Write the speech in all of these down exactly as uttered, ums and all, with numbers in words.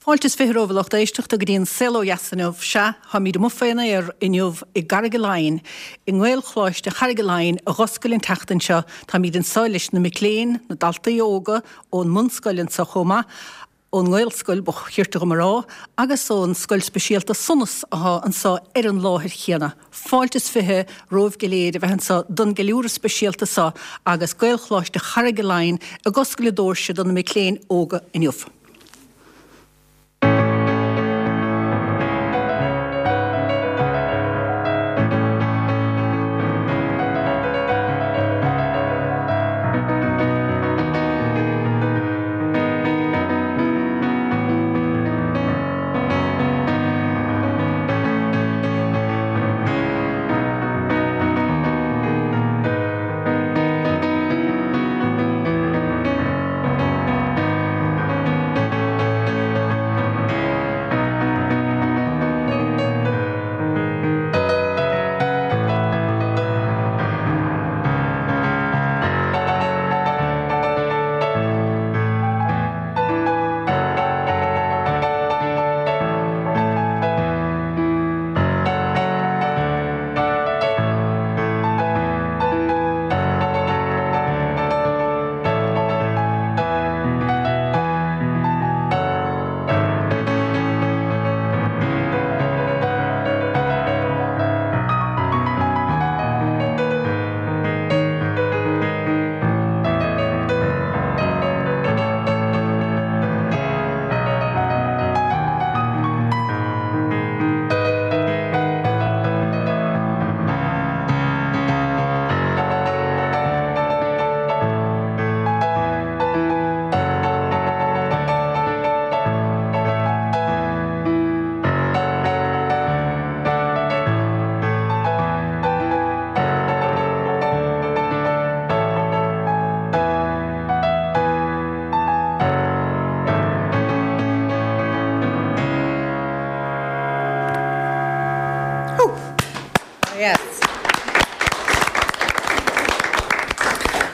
Fáilte is fiche romhaibh a lucht éisteachta go dtí an Saol Ó Dheas inniu. Sea, táimid amuigh fén aer inniu i gCarraig Laighin, i nGaelcholáiste Charraig Laighin a dh'oscail an tseachtain seo. Táimid anseo leis na mic léinn, na daltaí óga ón mbunscoil anseo chomh maith, ón nGaelscoil ba chirte dhom a rá, agus ón scoil speisialta Sonas atá anseo ar an láthair chéanna. Fáilte is fiche romhaibh go léir a bheith anseo don gceiliúradh speisialta seo agus Gaelcholáiste Charraig Laighin ag oscailt a dóirse do na mic léinn óga inniu.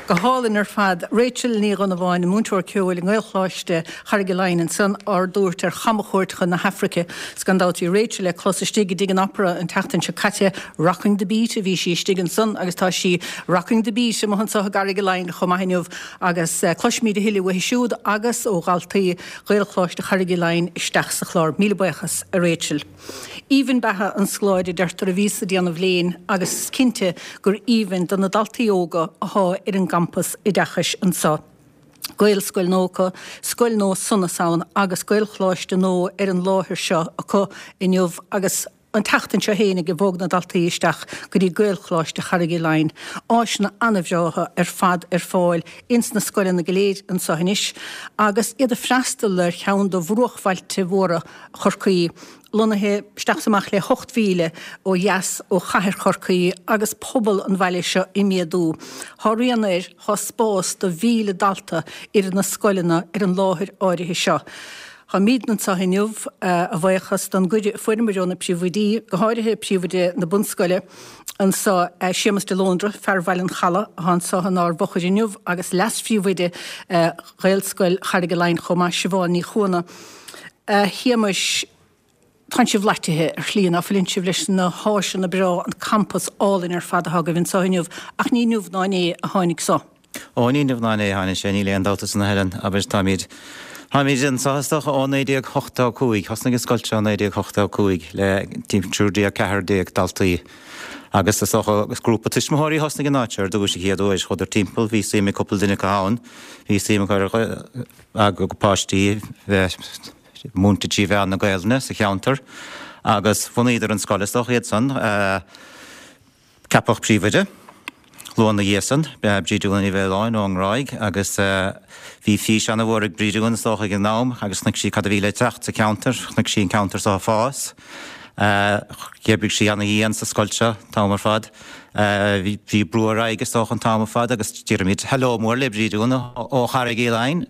Go hálainn ar fad. Rachel Ní Dhonnabháin, múinteoir ceoil i nGaelcholáiste Charraig Laighin ansan ár dtabhairt ar chamchuairt chun na hAfraice. 'S gan dabht bhí Rachel le clos istigh i dTigh an Opera an tseachtain seo caite, Rocking the Beat a bhí sí istigh ansan agus tá sí Rocking the Beat amuigh anseo i gCarraig Laighin chomh maith inniu agus cloisfimid a thuilleadh uaithi siúd agus ó dhaltaí Ghaelcholáiste Charraig Laighin isteach sa chlár. Míle buíochas a Rachel. Aoibhinn beatha an scoláire deirtear a bhíos ag déanamh léinn agus is cinnte gur aoibhinn do na daltaí óga atá ar an gcampas oideachais anseo. Gaelscoil nua acu, scoil nua Sonas ann agus Gaelcholáiste nua ar an láthair seo acu inniu agus an tseachtain seo fhéinig a bhog na daltaí isteach go dtí Gaelcholáiste Charraig Uí Leighin. Áiseanna an-bhreátha ar fad ar fáil ins na scoileanna go léir anseo anois agus iad ag freastal ar cheann de bhruachbhailte mhóra Chorcaí, lonnaithe isteach is amach le hocht mhíle ó dheas ó chathair Chorcaí agus pobal an bhaile seo ag méadú. Thá rian air, thá spás do mhíle dalta idir na scoileanna ar an láthair áirithe seo. Táimidne anseo inniu a bhuíochas don gcuireadh a fuaireamar ó na príomhoidí, go háirithe príomhoide na bunscoile anseo, Séamus de Lóndra, fear Bhaile an Chalaidh, atá anseo inár bhfochair inniu, agus leas-phríomhoide Ghaelscoil Charraig Uí Leighin chomh maith, Siobhán Ní Chuana. A Shéamais, tánn sibh loitithe ar shlí, ná fuileann sibh leis na háiseanna breá, an campas álainn ar fad atá agaibh anseo inniu, ach ní inniu ná inné a tháinig so. Ó, ní inniu ná inné a tháinig sé, níl aon dabht ansan a Helen, abair, táimid, táimid anseo is dócha ó naoi déag ochtó a cúig, thosnaigh an scoil seo i naoi déag ochtó a cúig le timpeall triúr déag, ceathrar déag daltaí agus is dócha is grúpa tuismitheoirí a thosnaigh an áit seo ar dtúis an chéad uair, chuadar timpeall, bhí suim ag cúpla duine acu ann, bhí suim acu ar a bpáistí bheith múinte trí mheán na Gaelainne sa cheantar agus bhunaíodar an scoil is dócha iad san. Ceapadh príomhoide luath ina dhiaidh san, Bríd Úna Ní Mhaoláin ón nGráig agus bhí fís ana-mhór ag Bríd Úna is dócha ag an am agus chonaic sí cad a bhí le teacht sa cheantar, chonaic sí an ceantar seo ag fás. D'oibrigh sí ana-dhian sa scoil seo an t-am ar fad. Bhí brú ar aghaidh is dócha an t-am ar fad agus deirimid hello mór le Bríd Úna ó Charraig Uí Leighin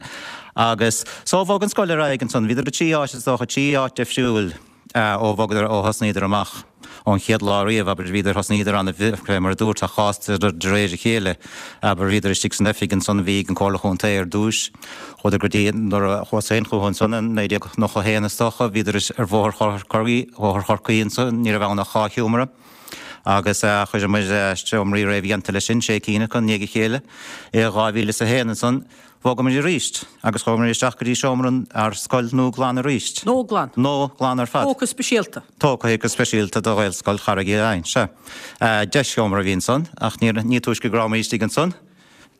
agus so bhog an scoil ar aghaidh ansan. Bhíodar i trí áit is dócha, trí áit difriúil. Ó bhogadar, ó thosnaíodar amach ón chéad lá riamh, abair, bhíodar, thosnaíodar ana, mar a dúirt, ach d'fhásadar de réir a chéile, abair, bhíodar istigh san oifig ansan a bhí ag an Comhairle Chontae ar dtúis, chuadar go dtí, nuair a chuas féin chucu ansan in naoi déag nócha a haon is dócha, bhíodar ar Bhóthar Chorcaí, Bhóthar Chorcaí ansan, ní raibh ann ach dhá sheomra agus chuir muid seomraí réamhdhéanta leis sin, sé cinn acu i ndiaidh a chéile, i dhá mhíle is a haon ansan. Bhogamar arís agus chuamar isteach go dtí seomra ár scoil nua glan arís. Nua glan. Nua glan ar fad. Tógtha speisialta. Tógtha go speisialta do Ghaelscoil Charraig Uí Leighin, sea. Deich seomra a bhí ansan ach níor, ní túisce go rabhamar istigh ansan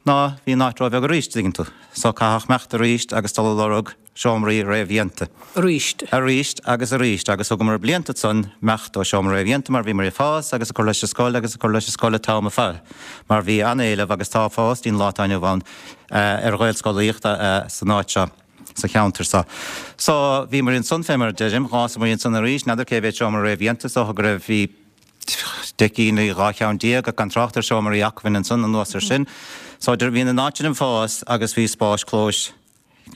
ná bhí an áit róbheag arís, tuigeann tú. So caitheadh imeacht arís agus dul ag lorg seomraí réamhdhéanta. Arís. Arís agus arís agus thugamar blianta ansan imeacht ó seomra réamhdhéanta mar bhíomar ag fás agus ag cur leis an scoil agus ag cur leis an scoil an t-am ar fad mar bhí an-éileamh agus tá fós dtí'n lá atá inniu ann ar Ghaelscolaíocht san áit seo, sa cheantar seo. So bhíomar ansan fé mar a deirim, d'fhásamar ansan arís, n'fheadar cé mhéad seomra réamhdhéanta is dócha go raibh, bhí deich gcinn nó dhá cheann déag ach gan trácht ar seomraí acmhainne ansan anuas ar sin. So bhí an áit sin ag fás agus bhí spás clóis,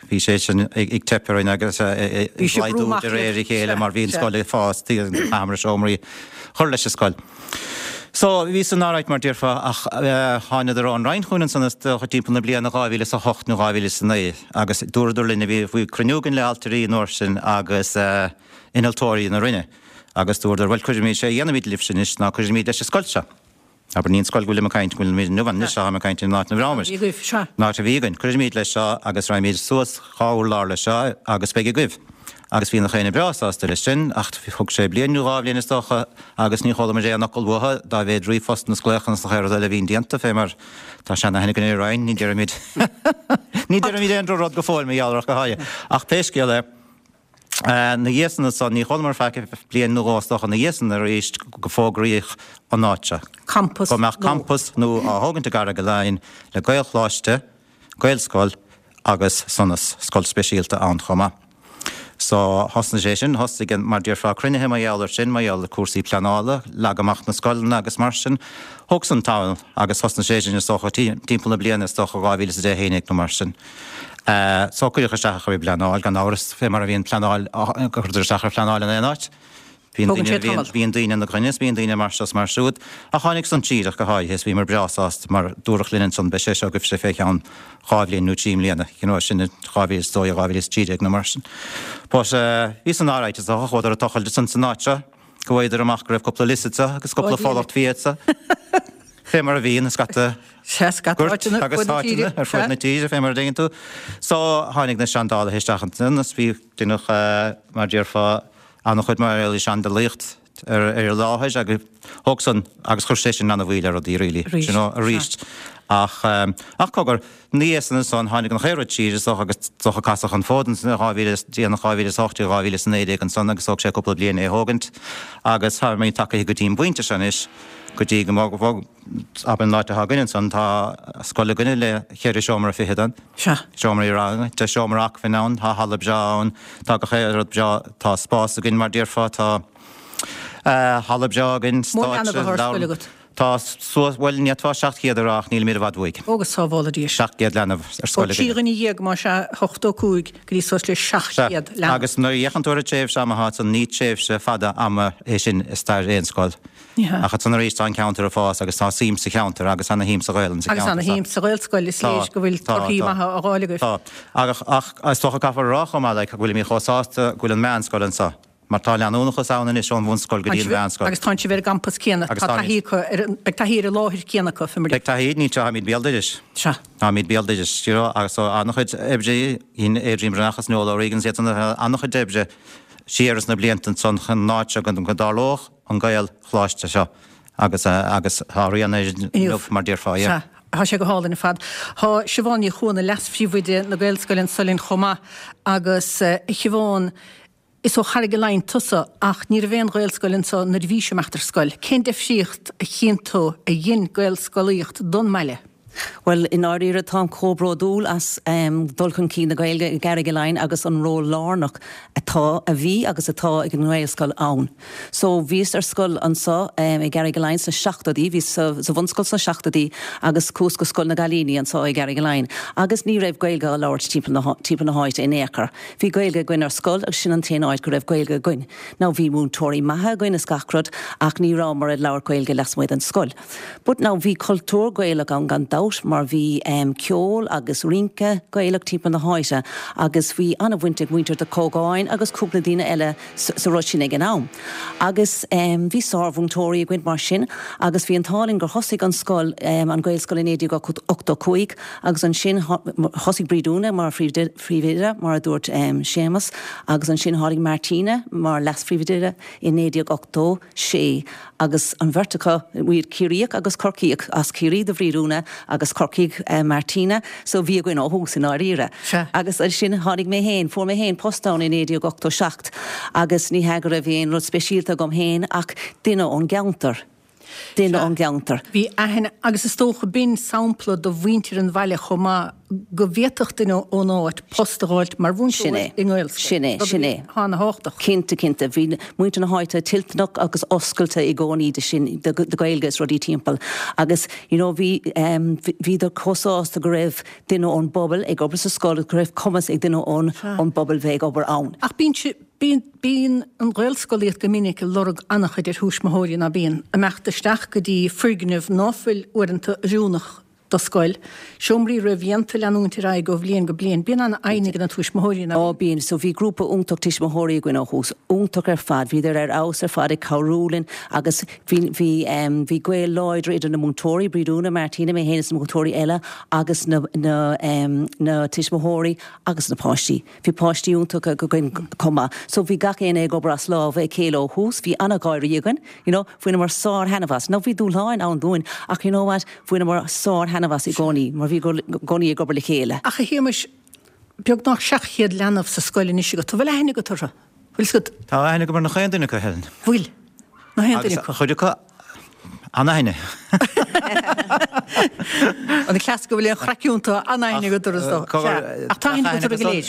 bhí sé sin ag teip orainn agus ag laghdú de réir a chéile mar bhí an scoil ag fás, chaitheamar seomraí a chur leis an scoil. So bhí san alright mar déarfá ach thánadar ón Roinn chugainn ansan is dócha timpeall na bliana dhá mhíle is a hocht nó dhá mhíle is a naoi agus dúradar linn, bhí cruinniú againn le hailtirí an uair sin agus innealtóirí na Roinne agus dúradar bhuel cuirfimid, sé a dhéanfaimid libhse anois ná cuirfimid leis an scoil seo. Abair, ní an scoil go bhfuilim ag caint, go bhfuilimid inniu ann anois, táim ag caint ar an áit ina rabhamar. Bhí agaibh, sea. An áit a bhí againn. Cuirfimid leis seo agus raghaimid suas dhá urlár leis seo agus beidh agaibh. Agus bhí nach éinne breá sásta leis sin, ach thug sé bliain nó dhá bhliain is dócha agus ní chuala muid aon fhocal uathu dá mhéad ríomhphostanna is glaochanna is nach aon rud eile a bhíonn déanta, fé mar tá seanaithne againn ar an Roinn, ní déarfaimid ní déarfaimid aon droch-rud go fóill mar gheall air ach go háirithe. Ach pé scéal é, Ina dhiaidh san ansan, ní chualamar faic bliain nó dhó is dócha ina dhiaidh san arís go fógraíodh an áit seo. Campas Go mbeadh campas nua á thógaint i gCarraig Laighin le Gaelcholáiste, Gaelscoil agus Sonas, scoil speisialta ann chomh maith. So, thosnaigh sé sin, thosaigh an, mar déarfá, cruinnithe mar gheall air sin, mar gheall ar cúrsaí pleanála, leagadh amach na scoileanna agus mar sin. Thóg san tamall agus thosnaigh sé sin is dócha timpeall na bliana is dócha dhá mhíle is a deich, a haon déag nó mar sin. So cuireadh isteach ar an bpleanáil, gan amhras, fé mar a bhíonn pleanáil, cuirtear isteach ar phleanáil in aon áit. Bíonn Tógann daoine, sé bíonn, tamall. bíonn daoine ina gcoinne is bíonn daoine mar seo is mar siúd. Ach tháinig san tríd ach go háirithe is bhíomar breá sásta mar dúradh linn ansan beidh sé seo agaibhse fé cheann dhá bhliain nó trí mbliana, you know, sin dhá mhíle is dó dhéag, dhá mhíle is trí déag nó mar sin. But eh, bhí san alright is dócha, chuadar ag tochailt ansan san áit seo, go bhfaigheadar amach go raibh cúpla lios anso agus cúpla fulacht fia anso. Fé mar a bhíonn i scata Sea, scata goirt áiteanna ar agus fud na tíre. áiteanna ar fud na tíre, fé mar a dtuigeann tú. So, tháinig na seandálaithe isteach ansan is bhí, deineadh, mar déarfá, an-chuid mar gheall ar seandálaíocht ar ar an láthair agus thóg san agus chuir sé sin ana-mhoill ar rudaí really, Arís, you know, sea. arís. Ach, ach cogar, ina dhiaidh san ansan tháinig an chéad rud siar is dócha agus is dócha casadh an fód ansan i dhá mhíle is déanach, dhá mhíle is a hocht déag, dhá mhíle is a naoi déag ansan agus thóg sé cúpla bliain é a thógaint agus táimid tagtha go dtí an bpointe seo anois go dtí go mbog, abair an áit atá againn ansan, tá scoil againne le cheithre seomra fichead ann, Sea. seomraí ranga, deich seomra acmhainne ann, tá halla breá ann, tá gach aon rud breá, tá spás againn mar déarfá, tá halla breá againn, Mó leanbh stáitse, atá ar scoil leabharlann. agat? Tá suas, bhuel, ní fhéadfá seacht gcéad a rá ach nílimid i bhfad uaidh. Ó go sábhála Dia. Seacht gcéad leanbh ar Ó scoil trí againne. dhuine dhéag más ea, ochtó cúig go dtí suas le seacht Sea, gcéad leanbh. agus nuair a fhéachann tú ar an tréimhse ama atá ansan, ní tréimhse fada ama é sin i stair aon scoil. Ní hea. Ach ansan arís tá an ceantar ag fás agus tá suim sa cheantar agus ana-shuim sa Ghaelainn sa Agus cheantar ana-shuim seo. sa Ghaelscoil, is Tá, léir go bhfuil tá, torthaí tá. maithe á fháil agaibh. Tá. Ach, ach is dócha caithfear a rá chomh maith, like, go bhfuilimid chomh sásta go bhfuil an mheánscoil anso. Mar tá leanúnachas ann anois ón bhunscoil go dtí an mheánscoil. Agus tánn sibh ar an gcampas céanna. Agus Tá táimid. taithí acu ar an, beidh taithí ar an láthair céanna acu, fé mar. Beidh taithí, ní táimid béal dorais. Sea. Táimid béal dorais, you know, agus tá an-chuid oibre, dhein Adrian Breathnach is Noel O'Regan, is iad san an-chuid oibre siar sna blianta ansan chun an áit seo go dtarlódh an Gaelcholáiste seo agus, agus tá a rian air inniu mar déarfá, yeah. Sea. Tá sé go hálainn ar fad. Tá Siobhán Ní Chuana, leas-phríomhoide na Gaelscoile anso linn chomh maith agus, a Shiobhán, Is ó Charraig Laighin tusa ach ní raibh aon Ghaelscoil anso nuair a bhís ag imeacht ar scoil. Cén difríocht a chíonn tú a dhein Gaelscolaíocht don mbaile? Well, i ndáiríre táim chomh bródúil as um, dul chun cinn na Gaeilge i gCarraig Laighin agus an ról lárnach atá a bhí agus atá ag an nGaelscoil ann. So bhíos ar scoil anseo um, i gCarraig Laighin sna seachtóidí, bhí sa, sa bhunscoil sna seachtóidí agus chuas go Scoil na gCailíní anseo i gCarraig Laighin. Agus ní raibh Gaeilge á labhairt timpeall na, timpeall na háite in aon chor. Bhí Gaeilge againn ar scoil agus sin an t-aon áit go raibh Gaeilge againn. Now bhí múinteoirí maithe againn is gach rud ach ní rabhamar ag labhairt Gaeilge lasmuigh den scoil. But now bhí cultúr Gaelach ann gan dabht mar bhí um, ceol agus rince Gaelach timpeall na háite agus bhí an-bhaint ag muintir de Cógáin agus cúpla daoine eile sa rud sin ag an am. Agus um, bhí sármhúinteoirí againn mar sin agus bhí an t-ádh linn gur thosaigh an scoil um, an Gaelscoil in naoi déag ochtó cúig agus ansin thosaigh Bríd Úna mar phríomhoide mar a dúirt um, Séamus agus ansin tháinig Martina mar leas-phríomhoide in naoi déag ochtó sé agus an bheirt acu iad Ciarraíoch agus Corcaíoch as Ciarraí do Bhríd Úna agus Corcaigh uh, Martina, so bhí againn ó thús i ndáiríre. Agus ansin tháinig mé féin, fuair mé féin post ann in naoi déag ochtó seacht agus ní hea go raibh aon rud speisialta agam féin ach duine ón gceantar. Duine ón gceantar. Bhí aithne agus is dócha b'in sampla do mhuintir an bhaile chomh maith go bhféadfadh duine ón áit post a fháilt mar mhúinteoir i nGaelscoil. Sin é, sin é. An-tábhachtach. Cinnte, cinnte. Bhí muintir na háite toilteanach agus oscailte i gcónaí de sin de Gaeilge is rudaí timpeall. Agus you know, bhí um, bhíodar chomh sásta go raibh duine ón bpobal ag obair sa scoil go raibh cumas ag duine ón ón bpobal bheith ag obair ann. Ach bíonn bíonn bíonn an Ghaelscolaíocht go minic ag lorg an-chuid ar thuismitheoirí ná bíonn imeacht isteach go dtí foirgneamh ná fuil uaireanta oiriúnach do scoil, seomraí roimh-dhéanta leanúint ar aghaidh ó bhliain go bliain. Bíonn an-fhoighne ag na tuismitheoirí ná Ó bíonn, so bhí grúpa iontach tuismitheoirí againn ó thús, iontach ar fad, bhíodar ar fheabhas ar fad ag cabhrú linn agus bhí bhí um, bhí gaol láidir idir na múinteoirí, Bríd Úna, Martina, mé féin is na múinteoirí eile agus na na um, na tuismitheoirí agus na páistí. Bhí páistí iontacha againn chomh maith. So bhí gach éinne ag obair as lámh a chéile ó thús, bhí an-gháirí againn, you know, bhaineamar sár-thaitneamh as. Now bhí dúshláin ann dúinn, ach you know what, bhaineamar sár-thaitneamh as i gcónaí, mar bhí i gcónaí ag obair le chéile. Ach a Shéamais, beagnach seacht chéad leanbh sa scoil anois agat. Bhfuil aithne agat orthu? Bhfuil 's agat? Tá aithne agam ar nach aon duine acu, Helen. Bhfuil. Nach aon duine acu. Agus chuid acu An-aithne. An cleas go bhfuil aon chraic iontu an-aithne agat orthu is dócha. Ach tá aithne agat orthu go léir.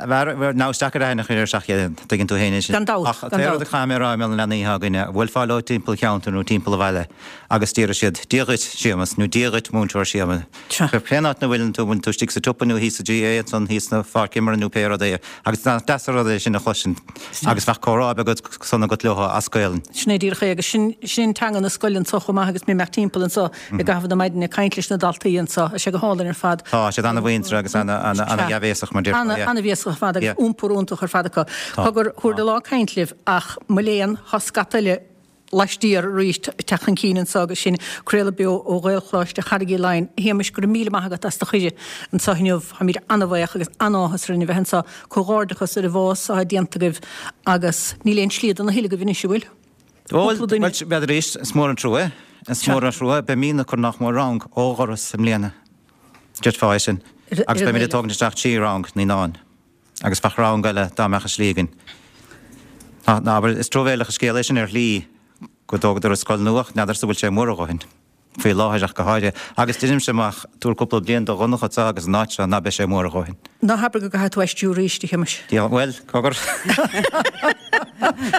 Bheadh, ná is deacair aithne a chur ar seacht gcéad, tuigeann tú féin é sin. Gan dabht, Ach gan dabht. Ach caithfidh mé a rá i mbéal na leanaí atá againne, bhuailfeá leo timpeall cheantar nó timpeall an bhaile agus déarfaidh siad, Dia dhuit, Séamus, nó Dia dhuit, Múinteoir Séamus. Pén áit 'na bhfuileann tú, bhfuil tú istigh sa tsiopa nó thíos sa GAA ansan thíos sna pháirc imeartha nó pé rud é, agus nach deas an rud é sin a chloisint agus bheadh comhrá beag sona agat leo as Gaelainn. Sin é díreach é agus sin, sin teanga na scoile anseo chomh maith agus mé ag imeacht timpeall anseo i gcaitheamh na maidine ag caint leis na daltaí anseo. Tá sé go hálainn ar fad. Tá siad ana-mhuinteartha agus ana-dheabhéasach mar déarfá, yeah. Ana-bhéasach ar fad agus iompar iontach ar fad acu. Cogar, tabhair do lá ag caint libh ach mo léan, tá scata eile laistiar arís ag teacht chun cinn anseo agus sinn ag craoladh beo ó Ghaelcholáiste Charraig Uí Leighin. A Shéamais, go raibh míle maith agat as do chuireadh anseo inniu. Táimid an-bhaoch agus an-áthas orainn a bheith anseo. Comhghairdeachas ar an bhfás atá déanta agaibh agus níl aon slí don thuilleadh agaibh anois, an bhfuil? Bhuel, b'fhéidir arís, is mór an trua é. Is mór an trua. Beimidne ag cur nach mór rang ó dhoras i mbliana. D'fhéadfá é sin. Agus beimid ag tógaint isteach trí rang naíonáin. Agus bheadh rang eile dá mbeadh an slí againn. Ná, abair, is truamhéileach an scéal é sin ar shlí go dtógadar an scoil nua ach n'fheadarsa an bhfuil sé mór a dhóthain. Faoi láthair ach go háirithe. Agus deirimse amach, tabhair cúpla bliain do Dhonncha anseo agus an áit seo ná beidh sé mór a dhóthain. Ná habair go gcaithfidh tú aistriú arís, a Shéamais. Diabhal, bhuel, cogar.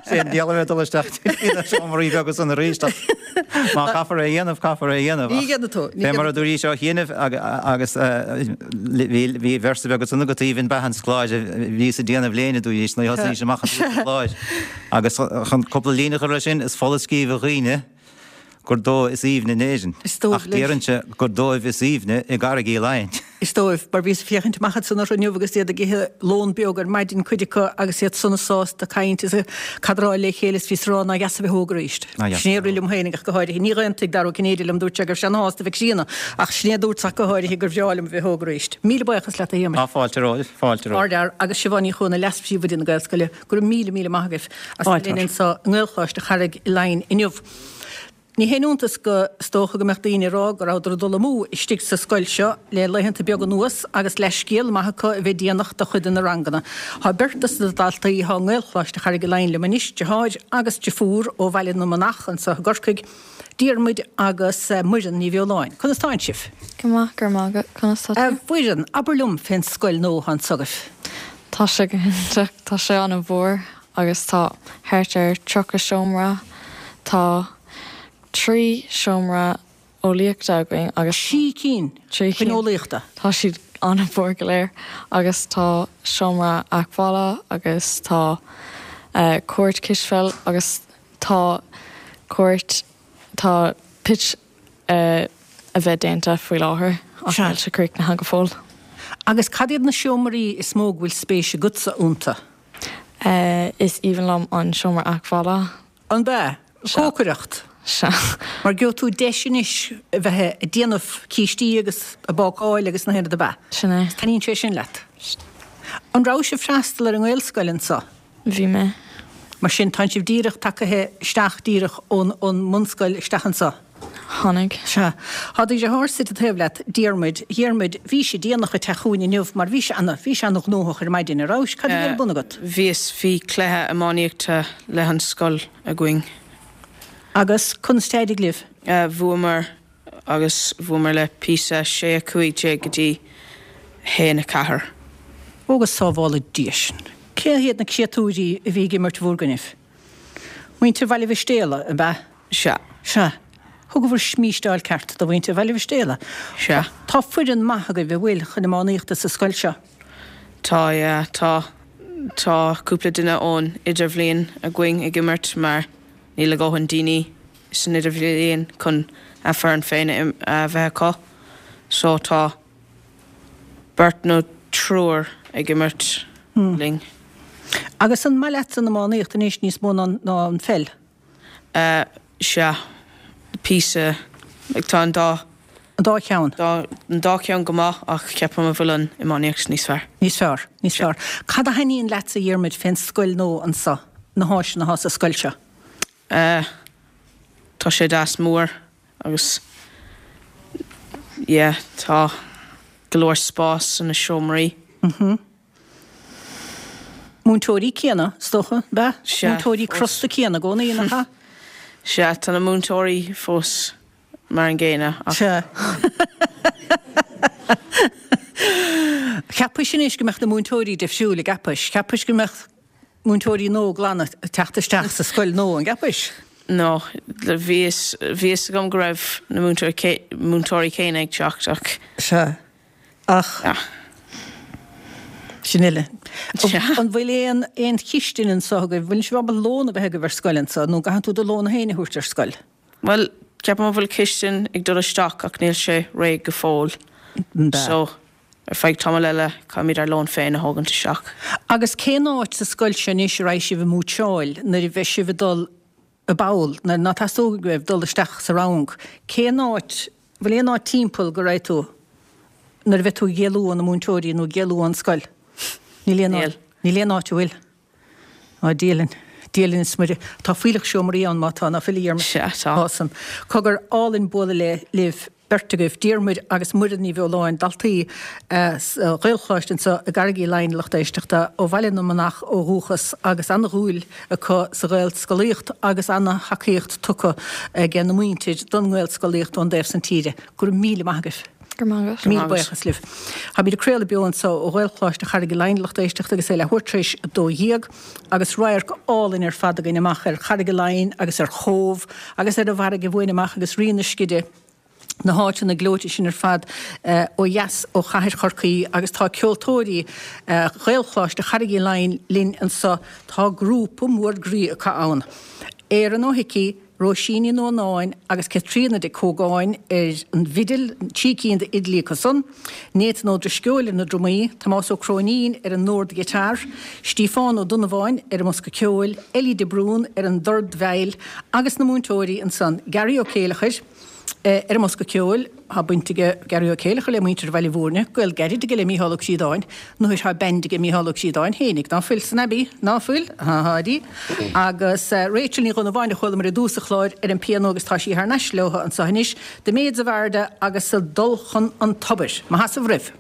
Sé an diabhal a bheith ag dul isteach trí na seomraí beaga san arís ach má caithfear é a dhéanamh, caithfear é a dhéanamh. Ní dhéanfaidh tú, ní Fé mar a dhéanfaidh tú. dúraís ó chianaibh agus bhí, bhí véarsa beag ansan agat aoibhinn beatha an scoláire, bhíos ag déanamh léinn a dúraís, nuair a thosnaís amach an chlár. Agus chun cúpla líne a chur leis sin, is follas scríobh a dhaoine, gur dóibh is aoibhne in Éirinn. Is dóibh Ach déarfainnse gur dóibh is aoibhne i gCarraig Uí Leighin. Is dóibh, mar bhíos ag féachaint amach ansan orthu inniu agus iad ag ithe lón beag ar maidin, cuid acu, agus iad sona sásta ag caint is ag cadráil le chéile is bhíos ag rá nár dheas a bheith óg arís. Nár dheas. Sin é a rith liom féinig ach go háirithe. Níor aontaigh Dara Ó Cinnéide liom, dúirt sé go raibh sé ana-shásta a bheith críonna, ach sin é a dúrtsa ach go háirithe gur bhreá liom a bheith óg arís. Míle buíochas leat a Shéamais. Á, fáilte romhaibh, fáilte romhaibh. Ardfhear agus Siobhán Ní Chuana, Leas-Phríomhoide na Gaelscoile, go raibh míle míle maith agaibh as Fáilte linn anseo i nGaelcholáiste Charraig Uí Leighin inniu. Ní haon iontas go is dócha go mbeadh daoine ag rá go rabhadar ag dul amú istigh sa scoil seo le laethanta beaga anuas agus leithscéal maith acu a bheith déanach do chuid de na ranganna. Tá beirt dos na daltaí atá i nGaelcholáiste Charraig Uí Leighin liom anois, deartháir agus deirfiúr ó Bhaile na Manach anseo i gCorcaigh, Diarmuid agus Muireann Ní Bheoláin. Conas tánn sibh? Go maith, go raibh maith agat. Conas tá A tú? Mhuireann, abair liom fén scoil nua atá anseo agaibh. Tá sé go hiontach, tá sé an-mhór agus tá thart ar tríocha seomra. Tá trí seomra eolaíochta againn agus Trí cinn Trí chun cinn. eolaíochta. Tá siad an-mhór go léir agus tá seomra acmhaille agus tá uh, cúirt cispheil agus tá cúirt tá pitch uh, a bheith déanta faoi láthair ach Sea. níl sé críochnaithe go fóill. Agus cad iad na seomraí is mó go bhfuil spéis agatsa iontu? Uh, is aoibhinn liom an seomra acmhaille. An bea? Cócaireacht. Sea. Mar gheobhaidh tú deis anois a bheith ag déanamh cístí agus ag bácáil agus na héada ba. Sin é. Taitníonn sé sin leat. An raibh sibh ag freastal ar an nGaelscoil anseo? Bhí mé. Mar sin tá sibh díreach tagtha isteach díreach ón ón mbunscoil isteach anseo. Tháinig. Sea. Tá do dheartháir suite taobh leat, Diarmuid, Diarmuid, bhí sé déanach ag teacht chugainn inniu mar bhí sé ana, bhí sé ana-ghnóthach ar maidin an raibh, cad a bhí ar bun agat? Bhíos bhí cluiche iománaíochta le an scoil againn. Agus conas d'éirigh libh? Uh, bhuamar agus bhuamar le píosa sé a cúig déag go dtí haon a ceathair. Agus sábhála Dia sinn. Cé hiad na créatúirí a bhí ag imirt bhur gcoinnibh? Muintir Bhaile Mhistéala, an bea? Sea. Sea. Thugabhair smísteáil ceart do mhuintir Bhaile Mhistéala. Sea. Tá foireann maith agaibh a bhfuil chun iománaíochta sa scoil seo. Tá yeah, tá tá cúpla duine ón idirbhliain againn ag imirt mar níl a ndóthain daoine san idirbhliain chun a foireann féin a im- a bheith acu. So tá beirt nó triúr ag imirt hmm. linn. Agus an maith leat an iománaíocht anois níos mó ná ná an pheil. Uh, sea píosa like, tá an dá An dá cheann. dá an dá cheann go maith ach ceapaim a bhfuil an iománaíocht níos fearr. Níos fearr, níos fearr. Cad a thaitníonn leatsa a Dhiarmuid fén scoil nua anseo, na háiseanna atá sa scoil seo. Uh, tá sé deas mór agus yeah, tá go leor spás sna seomraí. Múinteoirí céanna, is dócha, bea? Sea, Múinteoirí fós. crosta céanna i gcónaí nach? Sea tá na múinteoirí fós mar an gcéanna ach Sea. Cheapais anois go mbeadh na múinteoirí difriúil an gceapais. Cheapais go mbeadh múinteoirí nua glana ag teacht isteach sa scoil nua an gceapais. no le bhíos bhíos agam go raibh na múinteoirí cé- múinteoirí céanna ag teacht ach Sea. Ach yeah. sin eile. Sea. An bhfuil aon aon chistin anseo agaibh, bhfuil sibh ábalta lón a bheith agaibh ar scoil anseo, nó gcaitheann tú do lón féin a thabhairt ar scoil. Well ceapaim bhfuil cistin ag dul isteach ach níl sé réidh go fóill. Bea. So ar feadh tamall eile caithfimid ár lón féin a thógaint isteach. Agus cén áit sa scoil seo anois a raghaidh sibh ag múitseáil nuair a bheidh sibh ag dul i bpoll, nuair ná teastóidh uaibh dul isteach sa rang. Cén áit, bhfuil aon áit timpeall go raghaidh tú nuair a bheidh tú ag éalú ó na múinteoirí nó ag éalú ón scoil? Níl aon áit. Níl. Níl aon áit a bhfuil. Á Dia linn. Dia linn is Muire. Tá fuílleach seomraí ann má tá ná fuil a Dhiarmuid. Sea, tá. Tá san. Cogar álainn bualadh le libh beirt agaibh Diarmuid agus Muireann Ní Bheoláin daltaí eh, s- eh, Ghaelcholáiste anseo i gCarraig Uí Leighin lucht éisteachta ó Bhaile na Manach ó dhúchas agus ana-dhúil acu sa Ghaelscolaíocht agus ana-thacaíocht tugtha ag na muintir don Ghaelscolaíocht ón dtaobh san tíre. Go raibh míle maith agaibh. Go raibh maith agat. Míle buíochas libh. Táimid ag craoladh beo anseo ó Ghaelcholáiste Charraig Uí Leighin lucht éisteachta agus é leathuair tar éis a dó dhéag, agus radharc álainn ar fad againn amach ar Charraig Uí Leighin agus ar Chóbh agus ar an bhfarraige bhuain amach agus Rí na Scide na háiteanna gleoite sin ar fad eh, ó dheas ó chathair Chorcaí agus tá ceoltóirí eh, Ghaelcholáiste Charraig Uí Leighin linn anseo tá grúpa mór groí acu ann. Éarann Ó hIcí, Róisín Ní Nuanáin agus Caitríona de Cógáin ar an bhfidil trí cinn de fhidlí acu san, Nathan Ó Drisceoil ar na drumaí, Tomás Ó Cróinín ar an ndordghiotár, Stíofán Ó Donnabháin ar an mbosca ceoil, Ellie de Brún ar an dordveidhil agus na múinteoirí ansan Gary Ó Céileachair, Ar an mbosca ceoil, tá baint aige Garry Ó Céilleachair le muintir Bhaile Mhúirne, gaol gairid aige le Mícheál Ó Críodáin, nuair tá band aige Mícheál Ó Críodáin fhéinig, ná fuil san Abbey? Ná fuil? Tá, tá. Agus Rachel Ní Dhonnabháin a chualamar i dtús an chláir ar an pianó agus tá sí thar n-ais leo anseo anois, The Maids of Ardagh agus Ag Dul Chun an Tobair. Maith sibh roimh.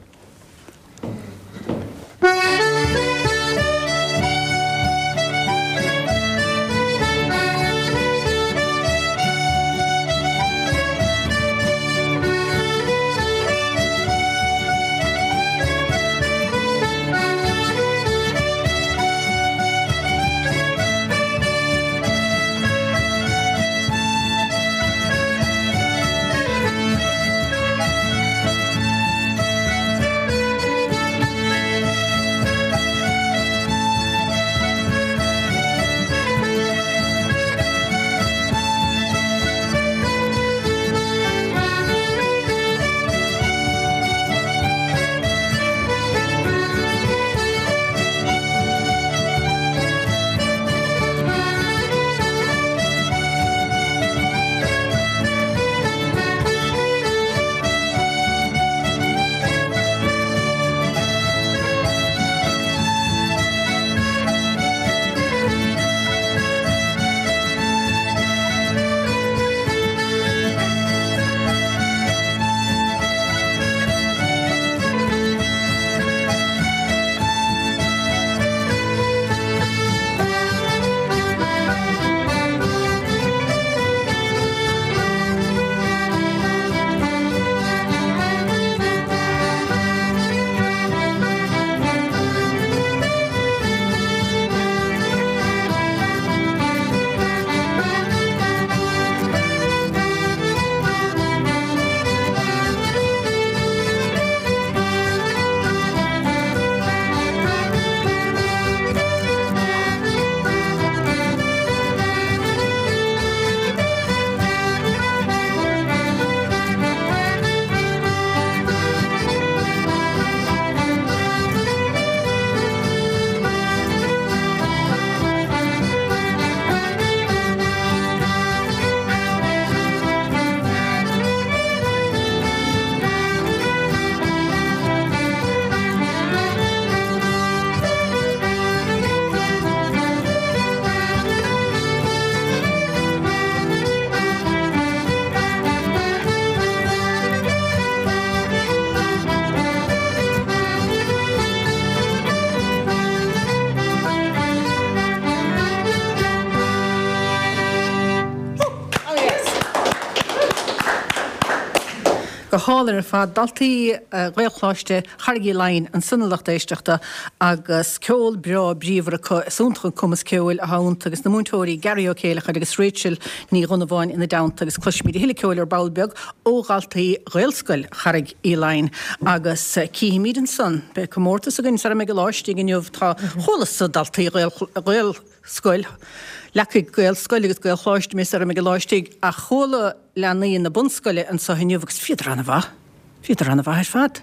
Go hálainn ar fad, daltaí Ghaelcholáiste Charraig Uí Leighin ansan a lucht éisteachta agus ceol breá bríomhar acu. Is iontach an cumas ceoil atá iontu agus na múinteoirí Garry Ó Céilleachair agus Rachel Ní Dhonnabháin ina dteannta agus cloisfimid a thuilleadh ceoil ar ball beag ó dhaltaí Ghaelscoil Charraig Uí Leighin agus cífimid ansan, beidh comórtas againn sara mbeidh an lá istigh inniu. Tá, chuala-sa daltaí Ghaelscoil, leacaigh Gaelscoil agus Gaelcholáiste mé sara mbeidh an lá istigh ach chuala leanaí na bunscoile anseo inniu agus bhíodar an-mhaith. Bhíodar an-mhaith ar fad.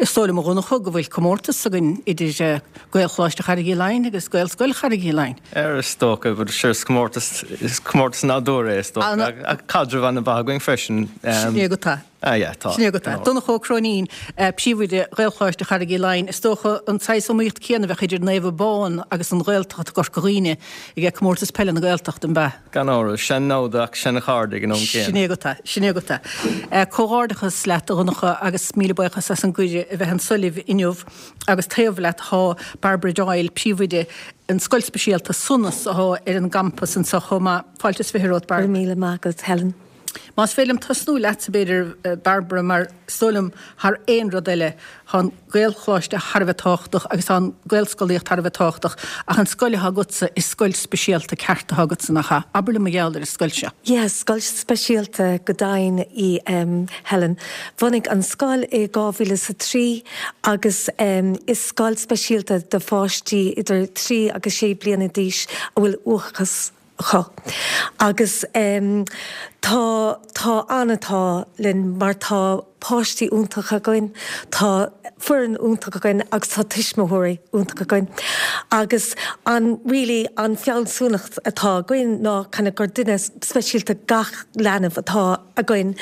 Is dóigh liom a Dhonncha go bhfuil comórtas againn idir Gaelcholáiste Charraig Uí Leighin agus Gaelscoil Charraig Uí Leighin. Ar is dócha, but sure is comórtas, is comórtas nádúrtha é is dócha. Ach caidreamh an-mhaith againn freisin. Sin é agat é. Ah yeah, tá. Sin é agat é. Donncha Ó Cróinín, Príomhoide Ghaelcholáiste Charraig Uí Leighin. Is dócha an saghas iomaíocht céanna a bheadh idir Naomh Abán agus an Ghaeltacht i gCorca Dhuibhne ag comórtas peile na Gaeltachta, an b'ea? Gan amhras, sean-namhad ach sean-chairde ag an am céanna. Sin é agat é, sin é agat é. Comhghairdeachas leat, a Dhonncha, agus míle buíochas as an gcuireadh a bheith anso libh inniu agus taobh leat tá Barbara Doyle, Príomhoide an Scoil Speisialta Sonas atá ar an gcampas anseo chomh maith. Fáilte is fiche romhat, Barbara. Go raibh míle maith agat, Helen. Más féidir liom tosnú leatsa, b'fhéidir, Barbara, mar is dóigh liom thar aon rud eile, tá an Gaelcholáiste thar a bheith tábhachtach agus tá an Gaelscolaíocht thar a bheith tábhachtach, ach an scoil atá agatsa, is scoil speisialta ceart atá agatsa, nach ea? Abair liom mar gheall ar an scoil seo. Yeah, scoil speisialta go deimhin í, Helen. Bhunaigh an scoil i dhá mhíle is a trí agus is scoil speisialta do pháistí idir trí agus sé bliana d'aois a bhfuil uathachas acu. Agus tá, tá an-ádh linn mar tá páistí iontach againn, tá foireann iontach againn agus tá tuismitheoirí iontach againn. Agus an really an fealsúnacht atá againn ná kind of gur duine speisialta gach leanbh atá againn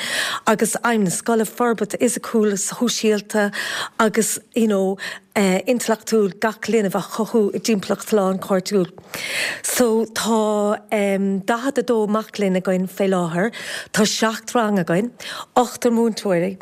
agus aidhm na scoile forbairt fhisiciúil, shóisialta agus you know, uh, intleachtúil gach linbh a chothú i dtimpeallacht lán cairdiúil. So tá um, daichead a dó mac léinn againn fé láthair, tá seacht rang againn, ochtar múinteoirí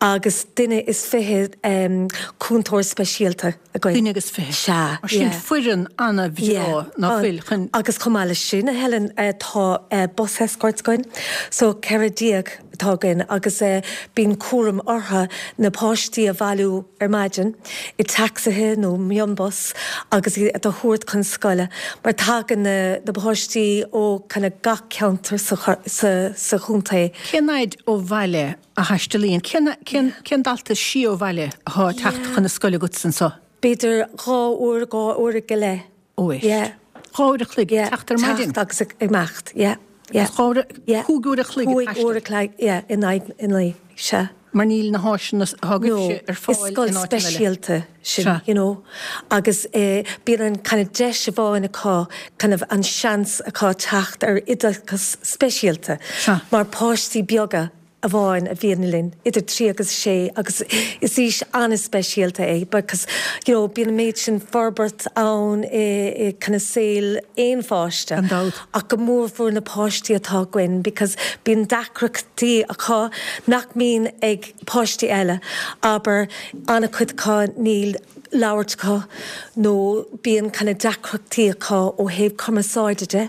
agus duine is fiche um, cúntóir speisialta againn. Duine agus fiche. Sea. Mar sin foireann an-bhreá ná fuil chun. Agus chomh maith leis sin a Helen uh, tá uh, bus escorts againn, so ceithre déag atá againn agus uh, bíonn cúram orthu na páistí a bhailiú ar maidin i tacsaithe nó mionbus agus iad a thabhairt chun scoile, mar tagann na, na páistí ó kind of gach ceantar sa, sa, sa chontae. Cén fhad ó bhaile a thaistealaíonn? Cén, cén, cén dalta sí ó bhaile atá ag teacht chun na scoile agat anseo? B'fhéidir dhá uair dhá uair go leith. Ó éist. Yeah. Dhá uair a chloig Yeah, teacht ar maidin? Teacht agus ag imeacht, yeah. Yeah. Dhá uair, Yeah. cúig uair a chloig ag Cúig taisteal. uair a chloig, yeah, in aghaidh an lae, sea. Mar níl na háiseanna atá No, agaibhse ar is fáil scoil in áiteanna eile. speisialta sin, Sea. you know, agus eh, bíonn an kind of deis amháin acu, kind of an seans acu teacht ar oideachas speisialta. Sea. Mar páistí beaga amháin a bhíonn linn, idir trí agus sé, agus is aois an-speisialta é, because you know, bíonn an méid sin forbairt ann i, i kind of saol aon pháiste. Gan dabht. Ach go mórmhór na páistí atá againn, because bíonn deacrachtaí acu nach mbíonn ag páistí eile, abair an-chuid acu níl labhairt acu nó bíonn kind of deacrachtaí acu ó thaobh cumarsáide de.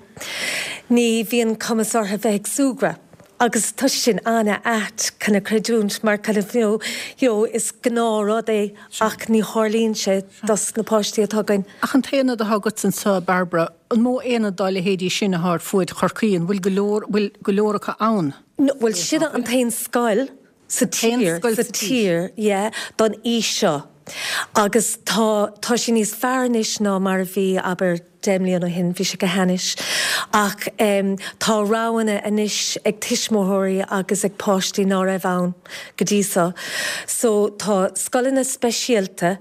Ní bhíonn cumas orthu bheith ag súgradh. Agus tá sin an-ait kind of creidiúint mar kind of, you know, you know, is gnáthrud é ach ní tharlaíonn sé dos na páistí atá againn. Ach an t-aonad atá agat anseo, Barbara, an mó aonad dá leithéidí sin atá ar fuaid Chorcaí, an bhfuil go leor, bhfuil go leor acu ann? No, well, sin an t-aon scoil sa T-aon tír, scoil sa sa tír. tír, yeah, don aois seo. Agus tá, tá sé níos fearr anois ná mar a bhí abair deich mbliana ó shin, bhí sé go hainnis. Ach um, tá roghanna anois ag tuismitheoirí agus ag páistí ná raibh ann go dtí seo. So tá scoileanna speisialta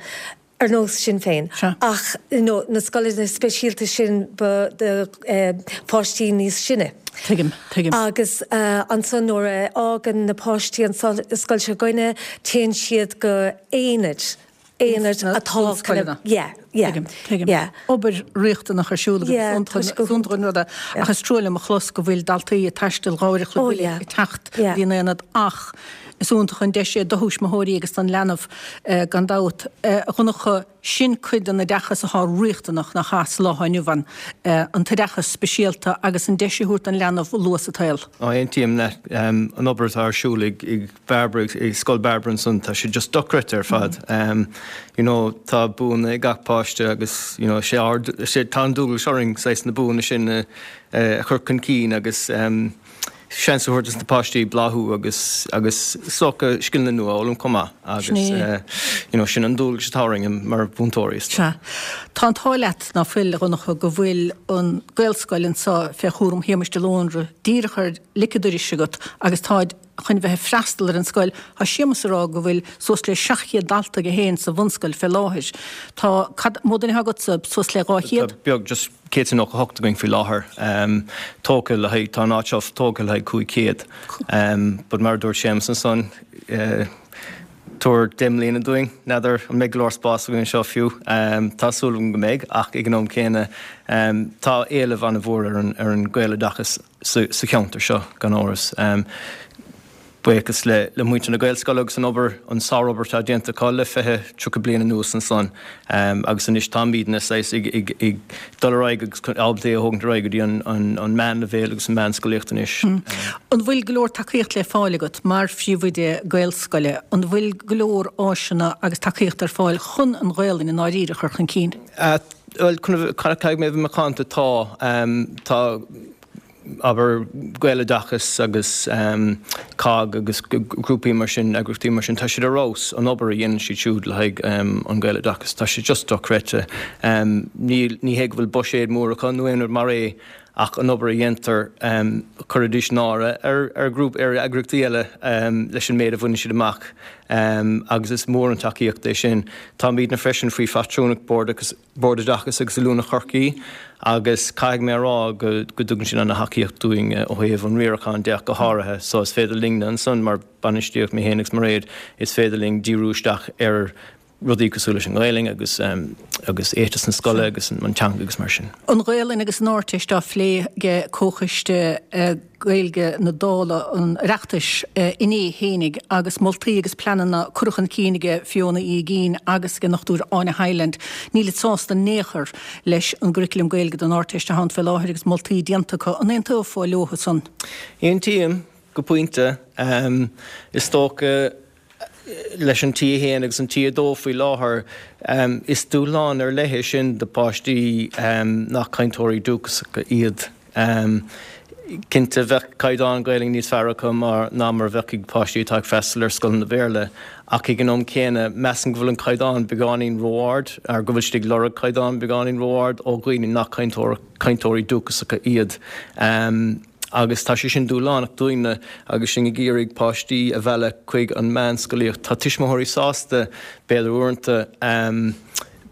ar nós sin féin. Sea. Ach you know, na scoileanna speisialta sin ba do eh, páistí níos sine. Tuigim, tuigim. Agus uh, ansan nuair a fhágann na páistí an scoil seo againne, téann siad go aonad. Aonad Na atá kind of- bunscoileanna. Yeah, yeah. Tuigim, tuigim. Yeah. Obair riachtanach ar siúl Yeah, agus tá sé go iontach an rud é. Ach is trua liom a chlos go bhfuil daltaí ag taisteal dhá uair a chloig Oh, yeah. ag teacht Yeah. go dtí an aonad ach is iontach an deis é do thuismitheoirí agus don leanbh eh, gan dabht. Eh, a Dhonncha, sin cuid den oideachas atá riachtanach nach as lá inniu an eh, an t-oideachas speisialta agus an deis a thabhairt don leanbh luath sa tsaol. Á aontaím leat um, an obair atá ar siúl ag, ag Barbara, ag Scoil Barbara ansan, tá sé just dochreidte ar fad. Um, you know, tá buanna ag gach páiste agus you know, sé ard, sé tá an dualgas orainn saghas na buanna sin uh, uh, a chur chun cinn agus um, seans a thabhairt na páistí bláthú agus agus socha scileanna nua a fhoghlaim chomh maith agus Sin é. uh, you know, sin an dualgas atá orainn mar mhúinteoirí. Sea. Tá an t-ádh leat ná fuil a Dhonncha go bhfuil an Gaelscoil anseo fé chúram Shéamais de Lónra díreach ar lic an dorais agat agus táid chun bheith ag freastal ar an scoil. Tá Séamus ag rá go bhfuil suas le seacht gcéad dalta aige féin sa bhunscoil fé láthair. Tá cad mó duine agatsa suas le dhá chéad? Tá beag just céad nócha hocht againn faoi láthair. Um, tógtha le haghaidh tá an áit seo tógtha le haghaidh cúig chéad. Um, but mar a dúirt Séamus ansan uh, tabhair deich mbliana dúinn, n'fheadar an mbeidh go leor spás againn seo fiú. Um, tá súil agam go mbeidh ach ag an am céanna um, tá éileamh an-mhór ar an, ar an Gaeloideachas sa, sa cheantar seo gan amhras. Um, buíochas le le muintir na Gaelscoile agus an obair an sárobair atá déanta acu le fiche tríocha bliain anuas ansan um, agus anois táimidne saghas ag ag ag dul ar aghaidh agus ábalta a thógaint ar aghaidh go dtí an an an meánleibhéal agus an meánscolaíocht anois. An bhfuil go leor tacaíocht le fáil agat mar phríomhoide Gaelscoile, an bhfuil go leor áiseanna agus tacaíocht ar fáil chun an Ghaelainn i ndáiríre a chur chun cinn? Uh, well, caithfidh mé bheith macánta tá um, tá abair Gaeloideachas agus um, C O G agus grúpaí mar sin eagraíochtaí mar sin tá siad ar fheabhas an obair a dhéanann siad siúd le haghaidh um, an Gaeloideachas tá sé just dochreidte. Um, ní ní hé go bhfuil buiséad mór acu nó aon rud mar é ach an obair a dhéantar chuirfidís náire ar ar ghrúp ar eagraíochtaí eile leis an méid a bhaineann siad amach agus is mór an tacaíocht é sin. Táimidne freisin faoi phatrúnacht Bord Bord Oideachais agus Oiliúna Chorcaí agus caithfidh mé a rá go go dtugann sin ana-thacaíocht dúinn ó thaobh an riaracháin de go háirithe so is féidir linne ansan mar bainistíocht mé féin agus Mairéad is féidir linn díriú isteach ar rudaí cosúil leis an nGaelainn agus agus éiteas na scoile agus an teanga agus mar sin. An Ghaelainn agus an Ardteist á phlé ag Comhchoiste Gaeilge na Dála an Oireachtais inné fhéinig agus moltaí agus pleananna curtha chun cinn ag Fiona Uí Uigínn agus ag an Dochtúir Áine Hyland. Nílid sásta in aon chor leis an gcuraclam Gaeilge don Ardteist atá ann fé láthair agus moltaí déanta acu. An aontófá leo san? Aontaím go pointe. Is dócha leis an T a haon agus an T a dó faoi láthair, is dúshlán ar leith é sin do pháistí nach cainteoirí dúchasacha iad. Cinnte, bheadh caighdeán Gaelainne níos fearr acu mar ná mar a bheadh ag páistí atá ag freastal ar scoileanna Béarla, ach ag an am céanna, measaim go bhfuil an caighdeán beagáinín ró-ard, ar go bhfuil siad ag lorg caighdeán beagáinín ró-ard ó dhaoine nach cainteoirí dúchasacha iad. Agus tá sé sin dúshlánach dúinne agus sinn ag iarraidh páistí a mhealladh chuig an meánscolaíocht. Tá tuismitheoirí sásta, b'fhéidir uaireanta,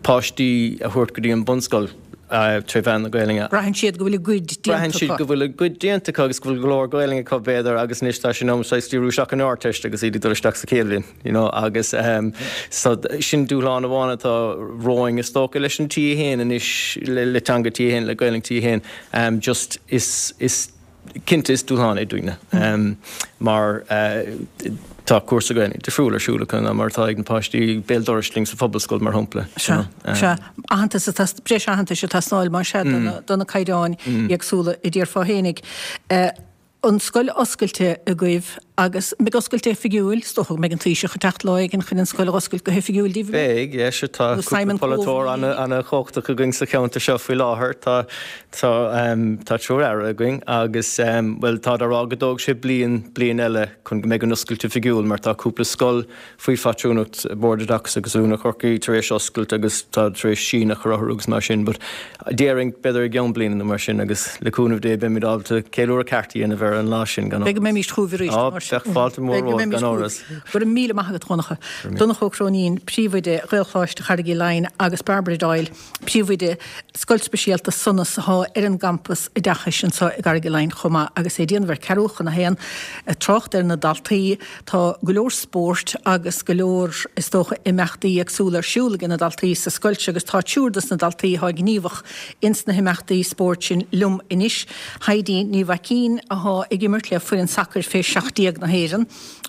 páistí a thabhairt go dtí an bunscoil tré mheán na Gaelainne. Braitheann siad go bhfuil a gcuid déanta acu. Braitheann siad go bhfuil a gcuid déanta acu agus go bhfuil go leor Gaelainne acu, b'fhéidir, agus anois tá sé in am saghas díriú isteach an Ardteist agus iad ag dul isteach sa chéad bhliain, you know, agus so sin dúshlán amháin atá romhainn is dócha leis an T a haon anois, le teanga T a haon, le Gaelainn T a haon, just is, is cinnte is dúshlán é dúinne mar tá cúrsa Gaelainne difriúil ar siúl acu ná mar atá ag na páistí béal dorais linn sa phobalscoil mar shampla. Sea, sea. Aitheantas atá, breis aitheantais ag teastáil mar sea do na caighdeáin éagsúla a déarfá fhéinig. An scoil oscailte agaibh agus an mbeidh oscailt oifigiúil, is dócha go mbeidh an Taoiseach ag teacht lá éigin chun an scoil a oscailt go hoifigiúil daoibh, an mbeidh? Beidh, yes, sure, tá cúpla polaiteoir ana-chumhachtach againn sa cheantar seo faoi láthair, tá tá tá triúr aire againn agus bhuel táid á rá go dtógfaidh sé bliain, bliain eile chun go mbeidh an oscailt oifigiúil mar tá cúpla scoil faoi phatrúnacht Bord Oideachais agus Oiliúna Chorcaí tar éis oscailt agus tá tar éis síneadh a chur orthu agus mar sin but déarfainn b'fhéidir i gceann bliana nó mar sin agus le cúnamh Dé beimid ábalta ceiliúradh ceart a dhéanamh ar an lá sin gan Beidh go mbeimís chugaibh arís Á, bheadh fáilte mhór romhat gan amhras. Go raibh míle maith agat, a Dhonncha. Donncha Ó Cróinín, Príomhoide Ghaelcholáiste Charraig Uí Leighin agus Barbara Doyle, Príomhoide Scoil Speisialta Sonas athá ar an gcampas oideachais anseo i gCarraig Uí Leighin chomh maith agus é ag déanamh ar ceathrú chun a haon. Ag trácht ar na daltaí, tá go leor spóirt agus go leor, is dócha, imeachtaí éagsúla ar siúl ag na daltaí sa scoil seo agus tá triúr dos na daltaí athá gníomhach ins na himeachtaí spóirt sin liom anois, Heidi Ní Mhaicín athá ag imirt le foireann sacair fé seacht déag na hÉireann,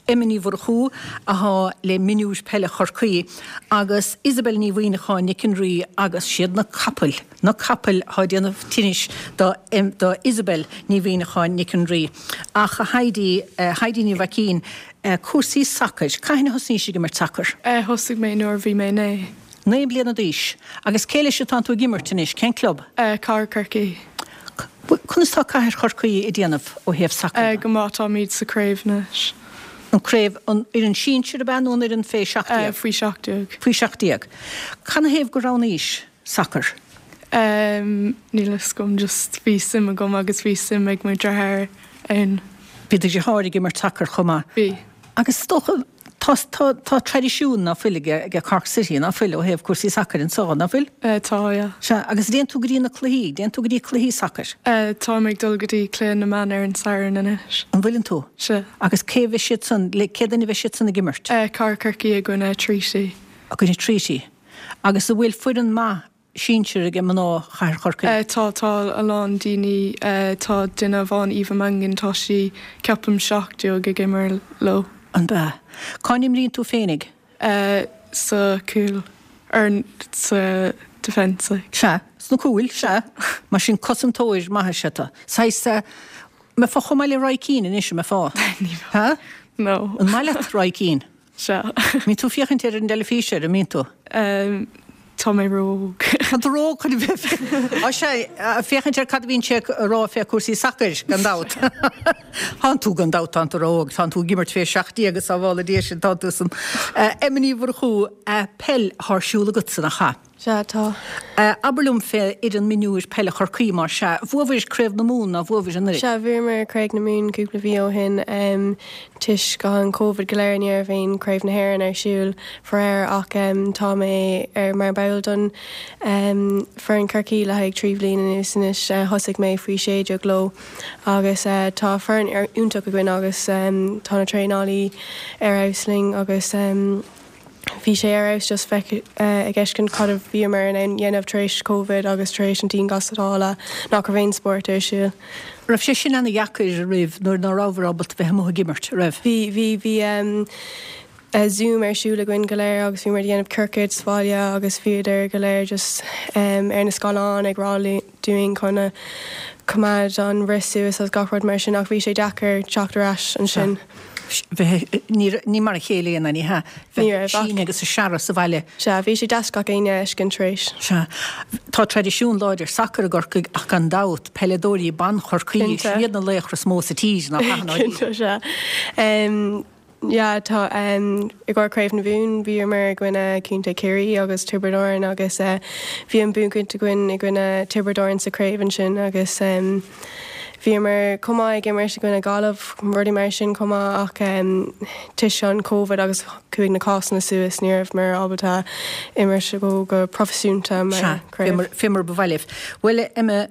Emma Ní Mhurchú athá le mionúir peile Chorcaí agus Isabel Ní Mhuimhneacháin Nic an Rí agus siad na capaill, na capaill athá ag déanamh tinnis do do Isabel Ní Mhuimhneacháin Nic an Rí. Ach a Heidi, Heidi Ní Mhaicín, cúrsaí sacair, cathain a thosnaís ag imirt sacair? Thosaigh mé nuair a bhí mé naoi. Naoi mbliana d'aois. Agus cé leis atánn tú ag imirt anois, cén club? Cathair Chorcaí. Conas tá Cathair Chorcaí ag déanamh ó thaobh sacair de? Go maith, táimid sa craobh anois. An craobh, an fhoireann sinsir ab ea nó an fhoireann fé seacht déag? Faoi seacht déag. Faoi seacht déag. Canathaobh gur roghnaís sacar? Níl fhios agam, just bhí suim agam agus bhí suim ag mo dheartháir ann. Bhí do dheartháir ag imirt sacair chomh maith? Bhí. Agus is dócha, tá, tá, tá traidisiún, ná fuil, ag, ag Cork City, ná fuil, ó thaobh cúrsaí sacair anseo, ná fuil? Tá, yeah. Sea, agus an dtéann tú go dtí na cluichí, dtéann tú go dtí cluichí sacair? Táim ag dul go dtí cluiche na mban ar an Satharn anois. An bhfuileann tú? Sea. Agus cé bheidh siad san, le cé duine a bheidh siad san ag imirt? Cathair Chorcaí i gcoinne Treaty. I gcoinne Treaty. Agus an bhfuil foireann maith sinsir ag mná Chathair Chorcaí? Tá, tá a lán daoine, tá duine amháin, Eva Mangan, tá sí, ceapaim, seacht déag ag imirt leo. An b'ea? Cá n-imríonn tú féinig? Sa cúl, or sa defence like. Sea, sna cúil, sea. Mar sin cosantóir maith is ea tú. Saghas, mbeifeá chomh maith le Roy Keane anois, an mbeifeá? Ní bheadh. Ha? No. An maith leat Roy Keane? Sea. Mbíonn tú féachaint ar an dteilifís air, an mbíonn tú? Tá mé ró-óg. Tá tú ró-óg chun a bheith Á sea, féachaint ar cad a bhíonn sé a rá fé cúrsaí sacair, gan dabht. Tánn tú, gan dabht, tánn tú ró-óg, tánn tú ag imirt fé seacht déag agus sábhála Dia sinn, tánn tú san. Emma Ní Mhurchú, peil athá ar siúl agatsa, nach ea? Sea, tá. Abair liom fé fhoireann mionúir peile Chorcaí mar sea, bhuabhair Craobh na Mumhan ná bhuabhair anuraidh? Sea, bhuamar Craobh na Mumhan cúpla mhí ó shin. Toisc an Covid go léir ní raibh aon Craobh na hÉireann ar siúl faraor ach tá mé ar mar ball don foireann Chorcaí le haghaidh trí bhliain anuas anois. Thosaigh mé faoi sé déag leo agus tá foireann iontach againn agus tá na traenálaí ar fheabhas linn agus bhí sé ar fheabhas just bheith ag fheiscint cad a bhíomar in ann dhéanamh tar éis Covid agus tar éis an dianghlasála nach raibh aon spórt ar siúl. Raibh sé sin ana-dheacair roimh nuair ná rabhabhair ábalta bheith amuigh ag imirt, raibh? Bhí, bhí, bhí Zoom ar siúl againn go léir agus bhíomar ag déanamh ciorcaid sa bhaile agus bhíodar go léir just ar na scáileáin ag rá dúinn chun coimeád an rith suas agus gach rud mar sin ach bhí sé deacair teacht ar ais ansin. Ní mar a chéile é, ní hea? Ní raibh ach. Síneadh agus a searradh sa bhaile. Sea, bhí sé deas gach éinne a fheiscint tar éis. Sea. Tá traidisiún láidir sacair i gCorcaigh ach gan dabht, peileadóirí ban Chorcaí, Cinnte. sin iad na laochra is mó sa tír, nach ea? Cinnte, sea. Yeah, tá, i gcomhair Craobh na Mumhan bhíomar i gcoinne Contae Chiarraí agus Tiobraid Árann agus bhí an buachaint againn i gcoinne Tiobraid Árann sa chraobh ansin agus bhíomar chomh maith ag imirt i gcoinne Gaillimh, rudaí mar sin chomh maith ach toisc an Covid agus chuaigh na cásanna suas ní rabhamar ábalta imirt go go proifisiúnta mar Sea, chraobh. fé mar ba mhaith libh. Bhuel, Emma,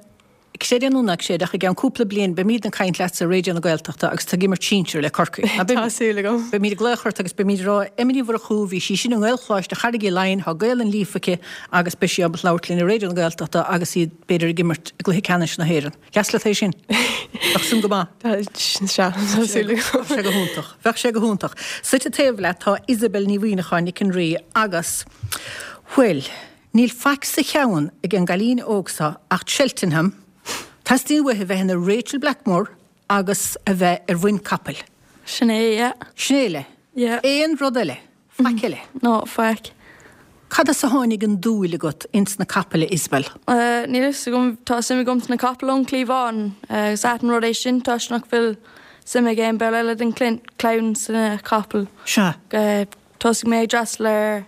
creid é nó ná creid ach i gceann cúpla bliain beimid ag caint leatsa ar Raidió na Gaeltachta agus tú ag imirt sinsir le Corcaigh. Ná Tá súil agam. Beimid ag glaoch ort agus beimid ag rá Emma Ní Mhurchú, bhí sí sin i nGaelcholáiste Charraig Uí Leighin, tá Gaelainn líofa aici agus beidh sí ábalta labhairt linn ar Raidió na Gaeltachta agus iad b'fhéidir ag imirt i gcluiche ceannais na hÉireann. Deas leat é sin? Bheadh sin go maith. Sea, tá súil agam. Bheadh sé go hiontach. Bheadh sé go hiontach. Suite taobh leat tá Isabel Ní Mhuineacháin, Nic an Rí agus, bhuel, níl faic sa cheann ag an gcailín óg seo ach Cheltenham. Teastaíonn uaithi a bheith ina Rachel Blackmore agus a bheith ar mhuin capaill. Sin é, yeah. Sin é le? Yeah. Aon rud eile? Faic eile? No, faic. Cad as a tháinig an dúil agat ins na capaill, a Isabel? Uh, níl fhios agam, tá suim agam sna capaill ón chliabhán. Uh, is ait an rud é sin toisc nach bhfuil suim ag aon ball eile den chlann sna capaill. Sea. Uh, Thosaigh mé ag freastal ar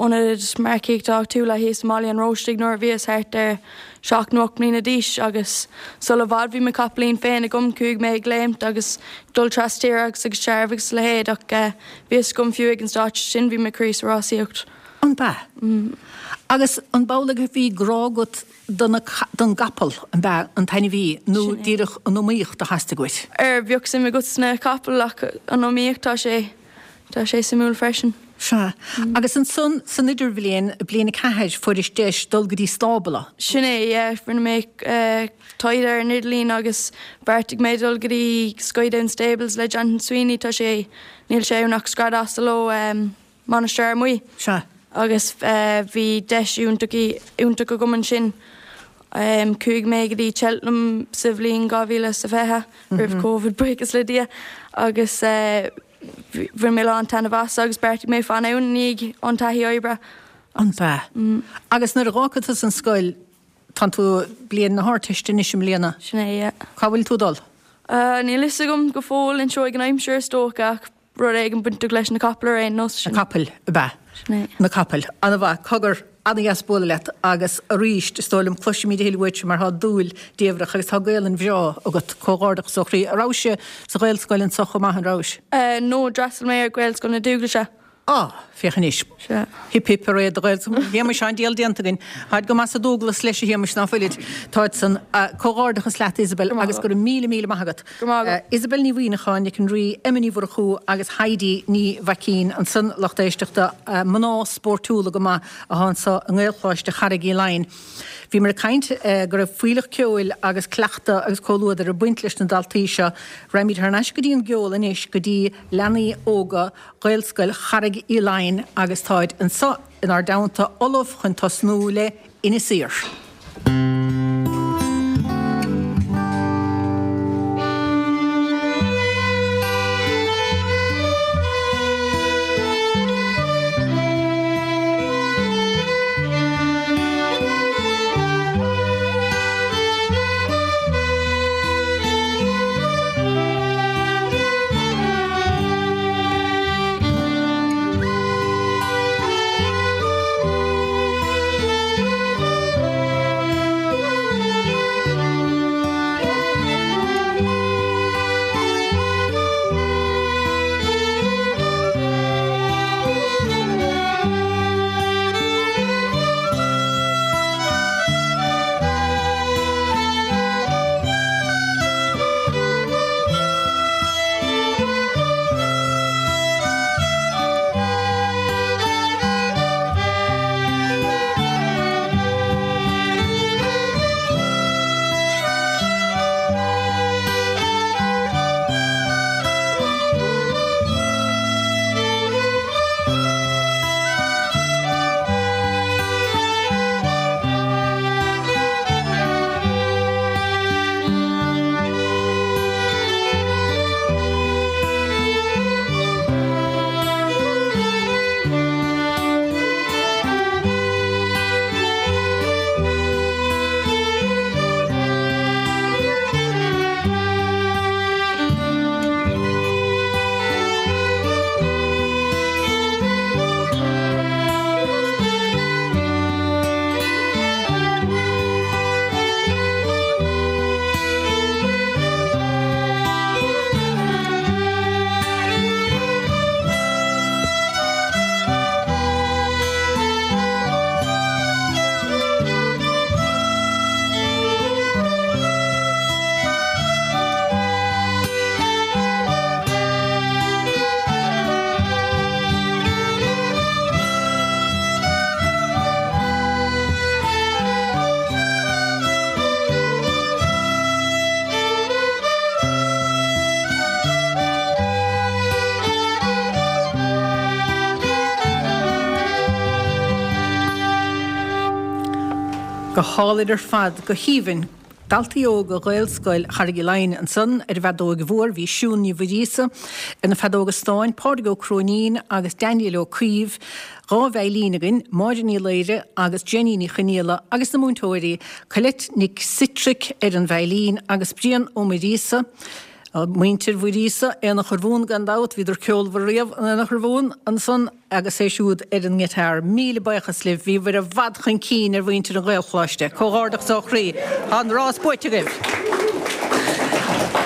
ionad marcaíochta áitiúla thíos i mBaile an Róistigh nuair a bhíos thart ar seacht nó ocht mbliana d'aois agus sula bhfad bhí mo chapaillín féin agam, chuaigh mé ag léimt agus dul trastíre agus ag searbh agus a leithéid ach bhí fhios agam fiú ag an stáitse sin bhí mo chroí sa rásaíocht. An b'ea? Agus an b'amhlaidh a bhí grá agat don gcapall, an b'ea, an t-ainmhí, nó díreach an iomaíocht a theastaigh uait? Ar bheadh suim agat sna capaill ach an iomaíocht tá sé Tá sé suimiúil freisin. Sea. Agus ansan san idirbhliain, bliain a ceathair, fuairis deis dul go dtí stábla. Sin é, yeah. Rinne mé taighde ar an idirlíon agus bheartaigh mé dul go dtí Skydown Stables le Jonathan Sweeney. Tá sé, níl sé ann ach scread asail ó Mainistir Fhear Maí. Sea. Agus bhí deis iontach, iontach agam ansin. Chuaigh mé go dtí Cheltenham sa bhliain dhá mhíle is a fiche, roimh Covid, buíochas le Dia, agus bhain mé lán taitneamh as agus bheartaigh mé fan ann i ndiaidh an taithí oibre. An b'ea? Agus nuair a dh'fhágfaidh tusa an scoil, tánn tú bliain na hArdteiste anois i mbliana. Sin é, yeah. Cá bhfuil tú ag dul? Níl fhios agam go fóill, inseoidh an aimsir is dócha ach rud éigin bainteach leis na capaill ar aon nós. Na capaill, ab ea? Sin é. Na capaill. Ana-mhaith. Cogar, ana-dheas bualadh leat agus arís, is dóigh liom, cloisfimid a thuilleadh uaitse mar tá dúil diamhrach agus tá Gaelainn bhreá agat. Comhghairdeachas ó chroí. An rabhais sa Ghaelscoil anso chomh maith, an rabhais? No, d'fhreastail mé ar Ghaelscoil na Dúglaise. Á, féach anois. Sea. Hip hip hooray do Ghaelscoil. Shéamais, tá an diabhal déanta againn. Táid go maith sa Dúglas leis, a Shéamais, ná fuilid? Táid san. Comhghairdeachas leat, Isabel, agus go raibh míle míle maith agat. Go raibh maith agat. Isabel Ní Mhuineacháin, Nic an Rí, Emma Ní Mhurchú agus Heidi Ní Mhaicín ansan, lucht éisteachta, mná spóirtiúla go maith atá anso i nGaelcholáiste Charraig Uí Leighin. Bhíomar ag caint go raibh fuílleach ceoil agus cleachtadh agus comhluadar ag baint leis na daltaí seo. Raghaimid thar n-ais go dtí an gceol anois, go dtí leanaí óga Ghaelscoil Charraig Uí Leighin agus táid anso inár dteannta ullamh chun tosnú le Inis Oírr. Go hálainn ar fad, go haoibhinn. Daltaí óga Ghaelscoil Charraig Uí Leighin ansan ar an bhfeadóig mhór, bhí Siún Ní Mhuiríosa ar na feadóga stáin, Pádraig Ó Cróinín agus Daniel Ó Caoimh, dhá veidhlín againn, Máire Ní Laoire agus Jenny Ní Chonaola agus na múinteoirí Colette Nic Sitric ar an veidhlín agus Brian Ó Muiríosa, Muintir Mhuiríosa, Aonach Urmhumhan gan dabht, bhíodar ceolmhar riamh in Aonach Urmhumhan ansan agus é siúd ar an ngiotár. Míle buíochas libh, bhíobhair i bhfad chun cinn ar mhuintir an Ghaelcholáiste. Comhghairdeachas ó chroí. Tá an rás buaite agaibh!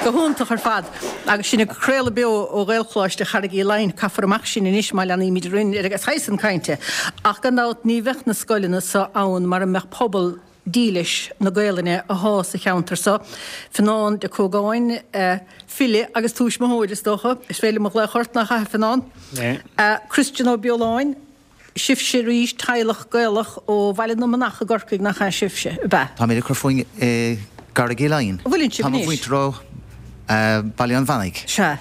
Go hiontach ar fad. Agus sinn ag craoladh beo ó Ghaelcholáiste Charraig Uí Leighin, caithfear amach sinn anois má leanaímid orainn ar an saghas san cainte. Ach gan dabht ní bheadh na scoileanna so ann mara mbeadh pobal dílis na Gaelainne athá sa cheantar so. Fionán de Cógáin, file agus tuismitheoir is dócha, is féidir liom a ghlaoch ort, nach ea, a Fhionáin? Christian Ó Beoláin, sibhse arís, teaghlach Gaelach ó Bhaile na Manach i gCorcaigh, nach ea sibhse, ab ea? Táimid ag cur fúinn i gCarraig Uí Leighin. An bhfuileann sibh Tá mo anois? mhuintir ó Baile an Mhanaigh. Sea.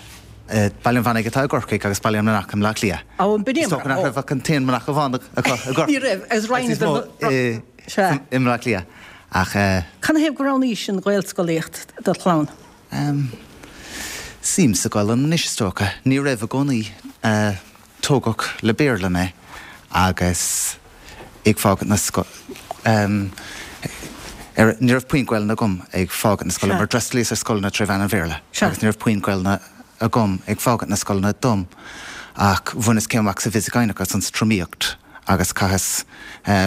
Baile an Mhanaigh atá i gCorcaigh agus Baile na Manach i mBleá Cliath. Ó, an b'in é Is dócha nach raibh ach an t-aon manach amháin acu i gCorcaigh. Ní raibh, agus roinnt Agus níos mó i Sea. i mBleá Cliath. Ach. Canathaobh gur roghnaís an Ghaelscolaíocht do chlann? Suim sa Ghaelainn anois is dócha. Ní raibh i gcónaí. Tógadh le Béarla mé agus ag fágaint na Ní raibh puinn Gaelainne agam ag fágaint na scoile mar d'fhreastalaíos ar scoileanna tré mheán an Bhéarla agus ní raibh puinn Gaelainne agam ag fágaint na scoileanna dom ach bhaineas céim amach sa bhfisic fheidhmeach agus an sa tromaíocht agus chaitheas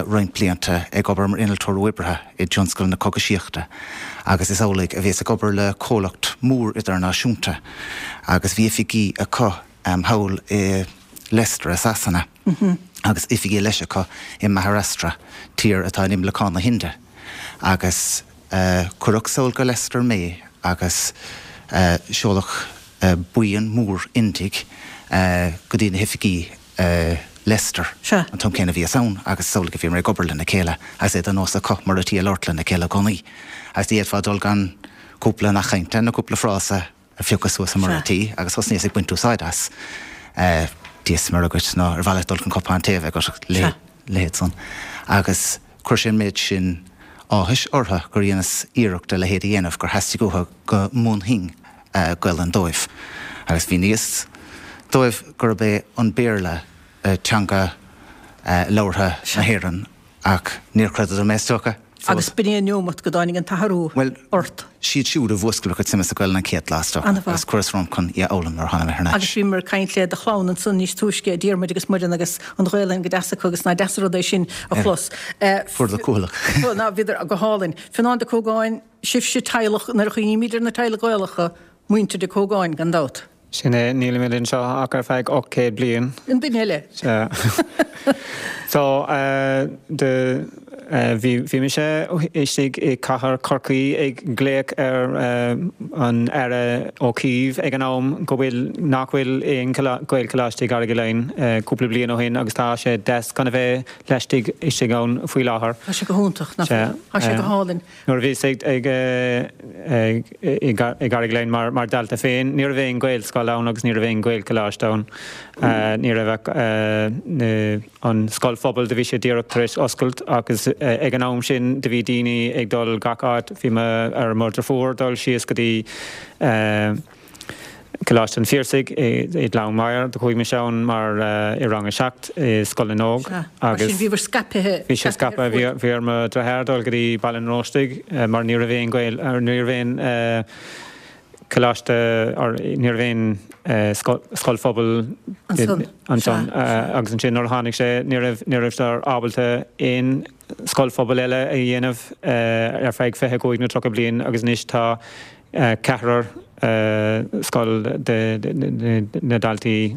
roinnt blianta ag obair mar innealtóir uathoibrithe i dtionscal na cógaisíochta agus is amhlaidh a bhíos ag obair le comhlacht mór idirnáisiúnta agus bhí oifigí acu thall i Leicester i Sasana agus oifigí leis acu i Maharastra, tír atá in imleacán na hInde agus cuireadh sall go Leicester mé agus seoladh buíon mór Indiaigh go dtí na hoifigí i Leicester an t-am céanna a bhíos ann agus is amhlaidh a bhíomar ag obair lena chéile agus é de nós acu mar atí a labhairt lena chéile i gcónaí agus ní fhéadfá dul gan cúpla nath cainte nó cúpla frása a phiocadh suas i mar atí agus thosnaíos ag baint úsáid as Dia 's Muire dhuit nó ar mhaith leat dul chun cupán tae a bheith agat leithéid san agus chuir sé an méid sin áthais orthu gur dheineas iarracht a leithéid a dhéanamh gur theastaigh uathu go múinfinn Gaelainn dóibh agus mhíníos dóibh gurb é an Béarla teanga labhartha na hÉireann ach níor chreideadar mé is dócha. Agus b'in é an neomat go dtáinig an t-athrú Bhuel, ort. siad siúd a mhúscail mo chuid suime sa Ghaelainn an chéad lá, is dócha, An-mhaith. agus chuireas romham chun í a fhoghlaim nuair a tháinig mé thar n-ais. Agus bhíomar ag caint le do chlann ansan níos túisce, a Diarmuid agus Muireann, agus an Ghaelainn go deas acu agus nach deas an rud é sin a chlos. Fuaireadar cúthaileach. Bhuel, ná, bhíodar go hálainn. Fionán de Cógáin, sibhse teaghlach, nuair a chuimhnímid ar na teaghlaigh Ghaelacha, muintir de Cógáin, gan dabht. Sin é, nílimid anseo ach ar feadh ocht gcéad bliain. An duine eile. Sea. So, de, bhí, bhí mise istigh i cathair Chorcaí ag glaoch ar an Aire Ó Cuív ag an am go bhfuil, nach bhfuil aon Ghaelcholáiste i gCarraig Uí Leighin cúpla bliain ó shin agus tá sé deas chun a bheith laistigh istigh ann faoi láthair. Tá sé go hiontach, nach bhfuil? Tá sé go hálainn. Nuair a bhíos ag i gCarraig Uí Leighin mar dhalta féin, ní raibh aon Ghaelscoil ann agus ní raibh aon Ghaelcholáiste ann. Ní raibh ach an scoil phobail, do bhí sé díreach tar éis oscailt agus ag an am sin do bhí daoine ag dul gach áit. Bhí ar mo dheirfiúr dul síos go dtí Coláiste an Phiarsaigh i nGleann Maghair. Do chuaigh mise ann mar i rang a seacht i Scoil na nÓg agus. Mar sin bhíobhair scaipthe. Bhí sé scaipthe. Bhí bhí ar mo dheartháir dul go dtí Baile an Róistigh mar ní raibh aon Ghael ní raibh aon coláiste or ní raibh aon scoil phobail Ansan. ansan agus ansin nuair a tháinig sé ní raibh ní raibh siad ábalta aon scoil phobail eile a dhéanamh ar feadh fiche cúig nó tríocha bliain agus anois tá ceathrar scoil de na daltaí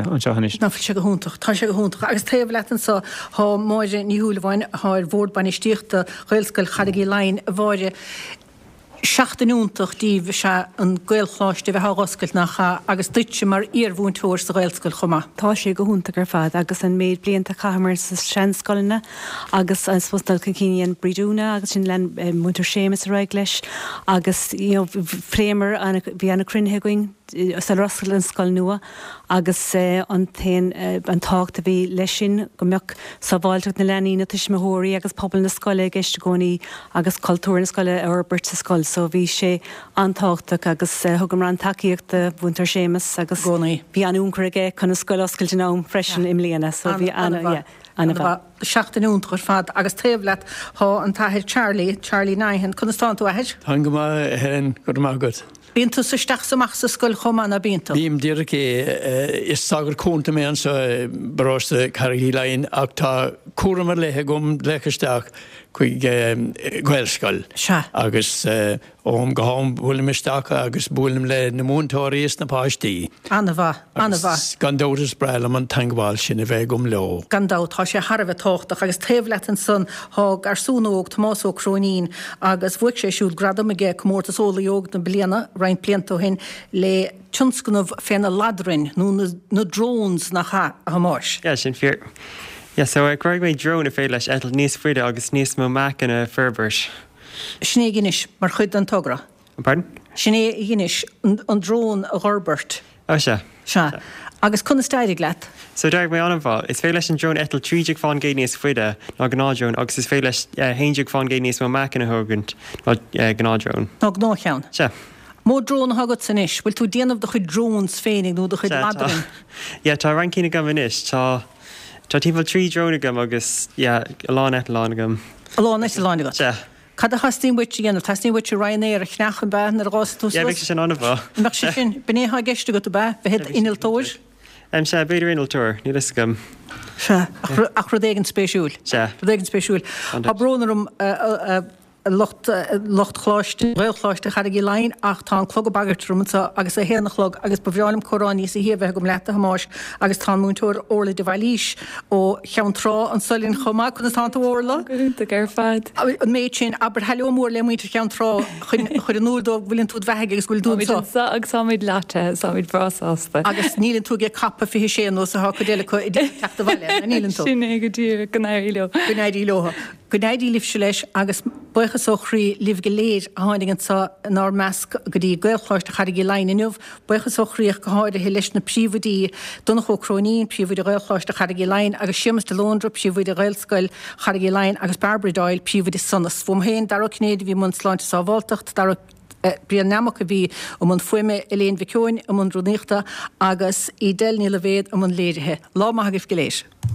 anseo anois. Nach bhfuil sé go hiontach? Tá sé go hiontach. Agus taobh leat anseo tá Máire Ní Shúilleabháin, atá ar Bhord Bainistíochta Ghaelscoil Charraig Uí Leighin. A Mháire, seachtain iontach daoibh is ea an Gaelcholáiste a bheith á dh'oscailt, nach ea? Agus duitse mar iar-mhúinteoir sa Ghaelscoil chomh maith. Tá sé go hiontach ar fad agus an méid blianta a chaitheamar sa seanscoileanna agus I suppose dul chun cinn a dhein Bríd Úna agus sin lean Múinteoir Séamus ar aghaidh leis agus you know phléamar an bhí ana chruinnithe againn sular oscail an scoil nua agus an t-aon an tábhacht a bhí leis sin go mbeadh sábháilteacht na leanaí, na tuismitheoirí agus pobal na scoile i gceist i gcónaí agus cultúr na scoile a fhorbairt sa scoil so bhí sé an-tábhachtach agus thugamar an-tacaíocht do Mhúinteoir Séamus agus bhí an-tionchar aige chun an scoil a oscailt in am freisin i mbliana so bhí an-mhaith. An-mhaith. Seachtain iontach ar fad agus taobh leat thá an t-athair Charlie, Charlie Nyhan. Conas tánn tú, a athair? Táim go maith, a Helen, go raibh maith agat. Bíonn tusa isteach 's amach sa scoil chomh maith, ná bíonn tú? Bím díreach é. Is sagart cúnta mé anseo i bparóiste Charraig Uí Leighin ach tá cúram ar leith agam glaoch isteach chuig Gaelscoil. Sea. Agus ó am go ham buailim isteach agus buailim le na múinteoirí is na páistí. An-mhaith, an-mhaith. Agus gan dabht is breá liom an teangmháil sin a bheith agam leo. Gan dabht, tá sé thar a bheith tábhachtach. Agus taobh leat ansan thá garsún óg, Tomás Ó Cróinín, agus bhuaigh sé siúd gradam aige Comórtas Eolaí Óg na Bliana roinnt blianta ó shin le tionscnamh fé na ladrainn, nó na drones nach ea, a Thomáis? Yeah, sin fíor. Yeah, so chruthaigh mé drón a féidir leis eitilt níos faide agus níos mó meáchain a forbairt. Sin é a dheinis mar chuid den togra? Pardon? Sin é a dheinis, an drón a dh'fhorbairt. Oh, sea. Sea. Agus conas d'éirigh leat? So d'éirigh mé an-mhaith. Is féidir leis an drón eitilt trí déag fán gcéad níos faide ná gnáthdhrón agus is féidir leis haon déag fán gcéad níos mó meáchain a thógaint ná gnáthdhrón. Ná gnáthcheann. Sea. Mó drón atá agatsa anois? Bhfuil tú ag déanamh do chuid drones féinig nó do chuid Sea, tá. ladrainn? Yeah, tá roinnt cinn agam anois. Tá tá timpeall trí drón agam agus yeah, a lán eitleán agam. A lán eitleáin agat? Sea. Cad a theastaíonn uait a dhéanamh? Teastaíonn uait Ryanair a cheannach, an b'ea, nuair a dh'fhásfaidh tú Yeah, suas? bheadh sé sin an-mhaith. An mbeadh sé sin, b'in é atá i gceist agat, ab ea? Bheith i d'innealtóir? Em, sea, b'fhéidir innealtóir, níl fhios agam. Sea, ach ach rud éigin spéisiúil. Sea. Rud éigin spéisiúil. Tá brón orm, lucht lucht Choláiste, Ghaelcholáiste Charraig Uí Leighin ach tá an clog ag bagairt orm anseo agus a haon a chlog agus ba bhreá liom comhrá níos sia a bheith agam leat, a Thomáis, agus tá an múinteoir Orla de Bhailís ó Cheann Trá anso linn chomh maith. Conas tánn tú, Orla? Go hiontach ar fad. An méid sin, abair heileo mór le muintir Cheann Trá chun chur in iúl dóibh go bhfuileann tú id bheathaidh agus go bhfuil tú Táimid anseo. anseo agus táimid leat, táimid breá sásta. Agus níleann tú ag capadh fiche sé nós atá cuid eile acu i dteacht abhaile, ná níleann tú? Sin é go díreach, go n-éirí leo. Go n-éirí leo. Go n-éirí libhse leis agus buíochas ó chroí libh go léir a tháinig anseo inár measc go dtí Gaelcholáiste Charraig Uí Leighin inniu. Buíochas ó chroí ach go háirithe leis na príomhoidí, Donncha Ó Cróinín, Príomhoide Ghaelcholáiste Charraig Uí Leighin agus Séamus de Lóndra, Príomhoide Ghaelscoil Charraig Uí Leighin agus Bairbre Doyle, Príomhoide Sonas. Uaim féin, Dara Ó Cinnéide a bhí i mbun Sláinte Sábháilteacht, Dara Brian Nammock a bhí i mbun fuaime, Elaine Mhic Eoin i mbun rúnaíochta agus Edel Ní Loibhéad i mbun léirithe. Lá maith agaibh go léir.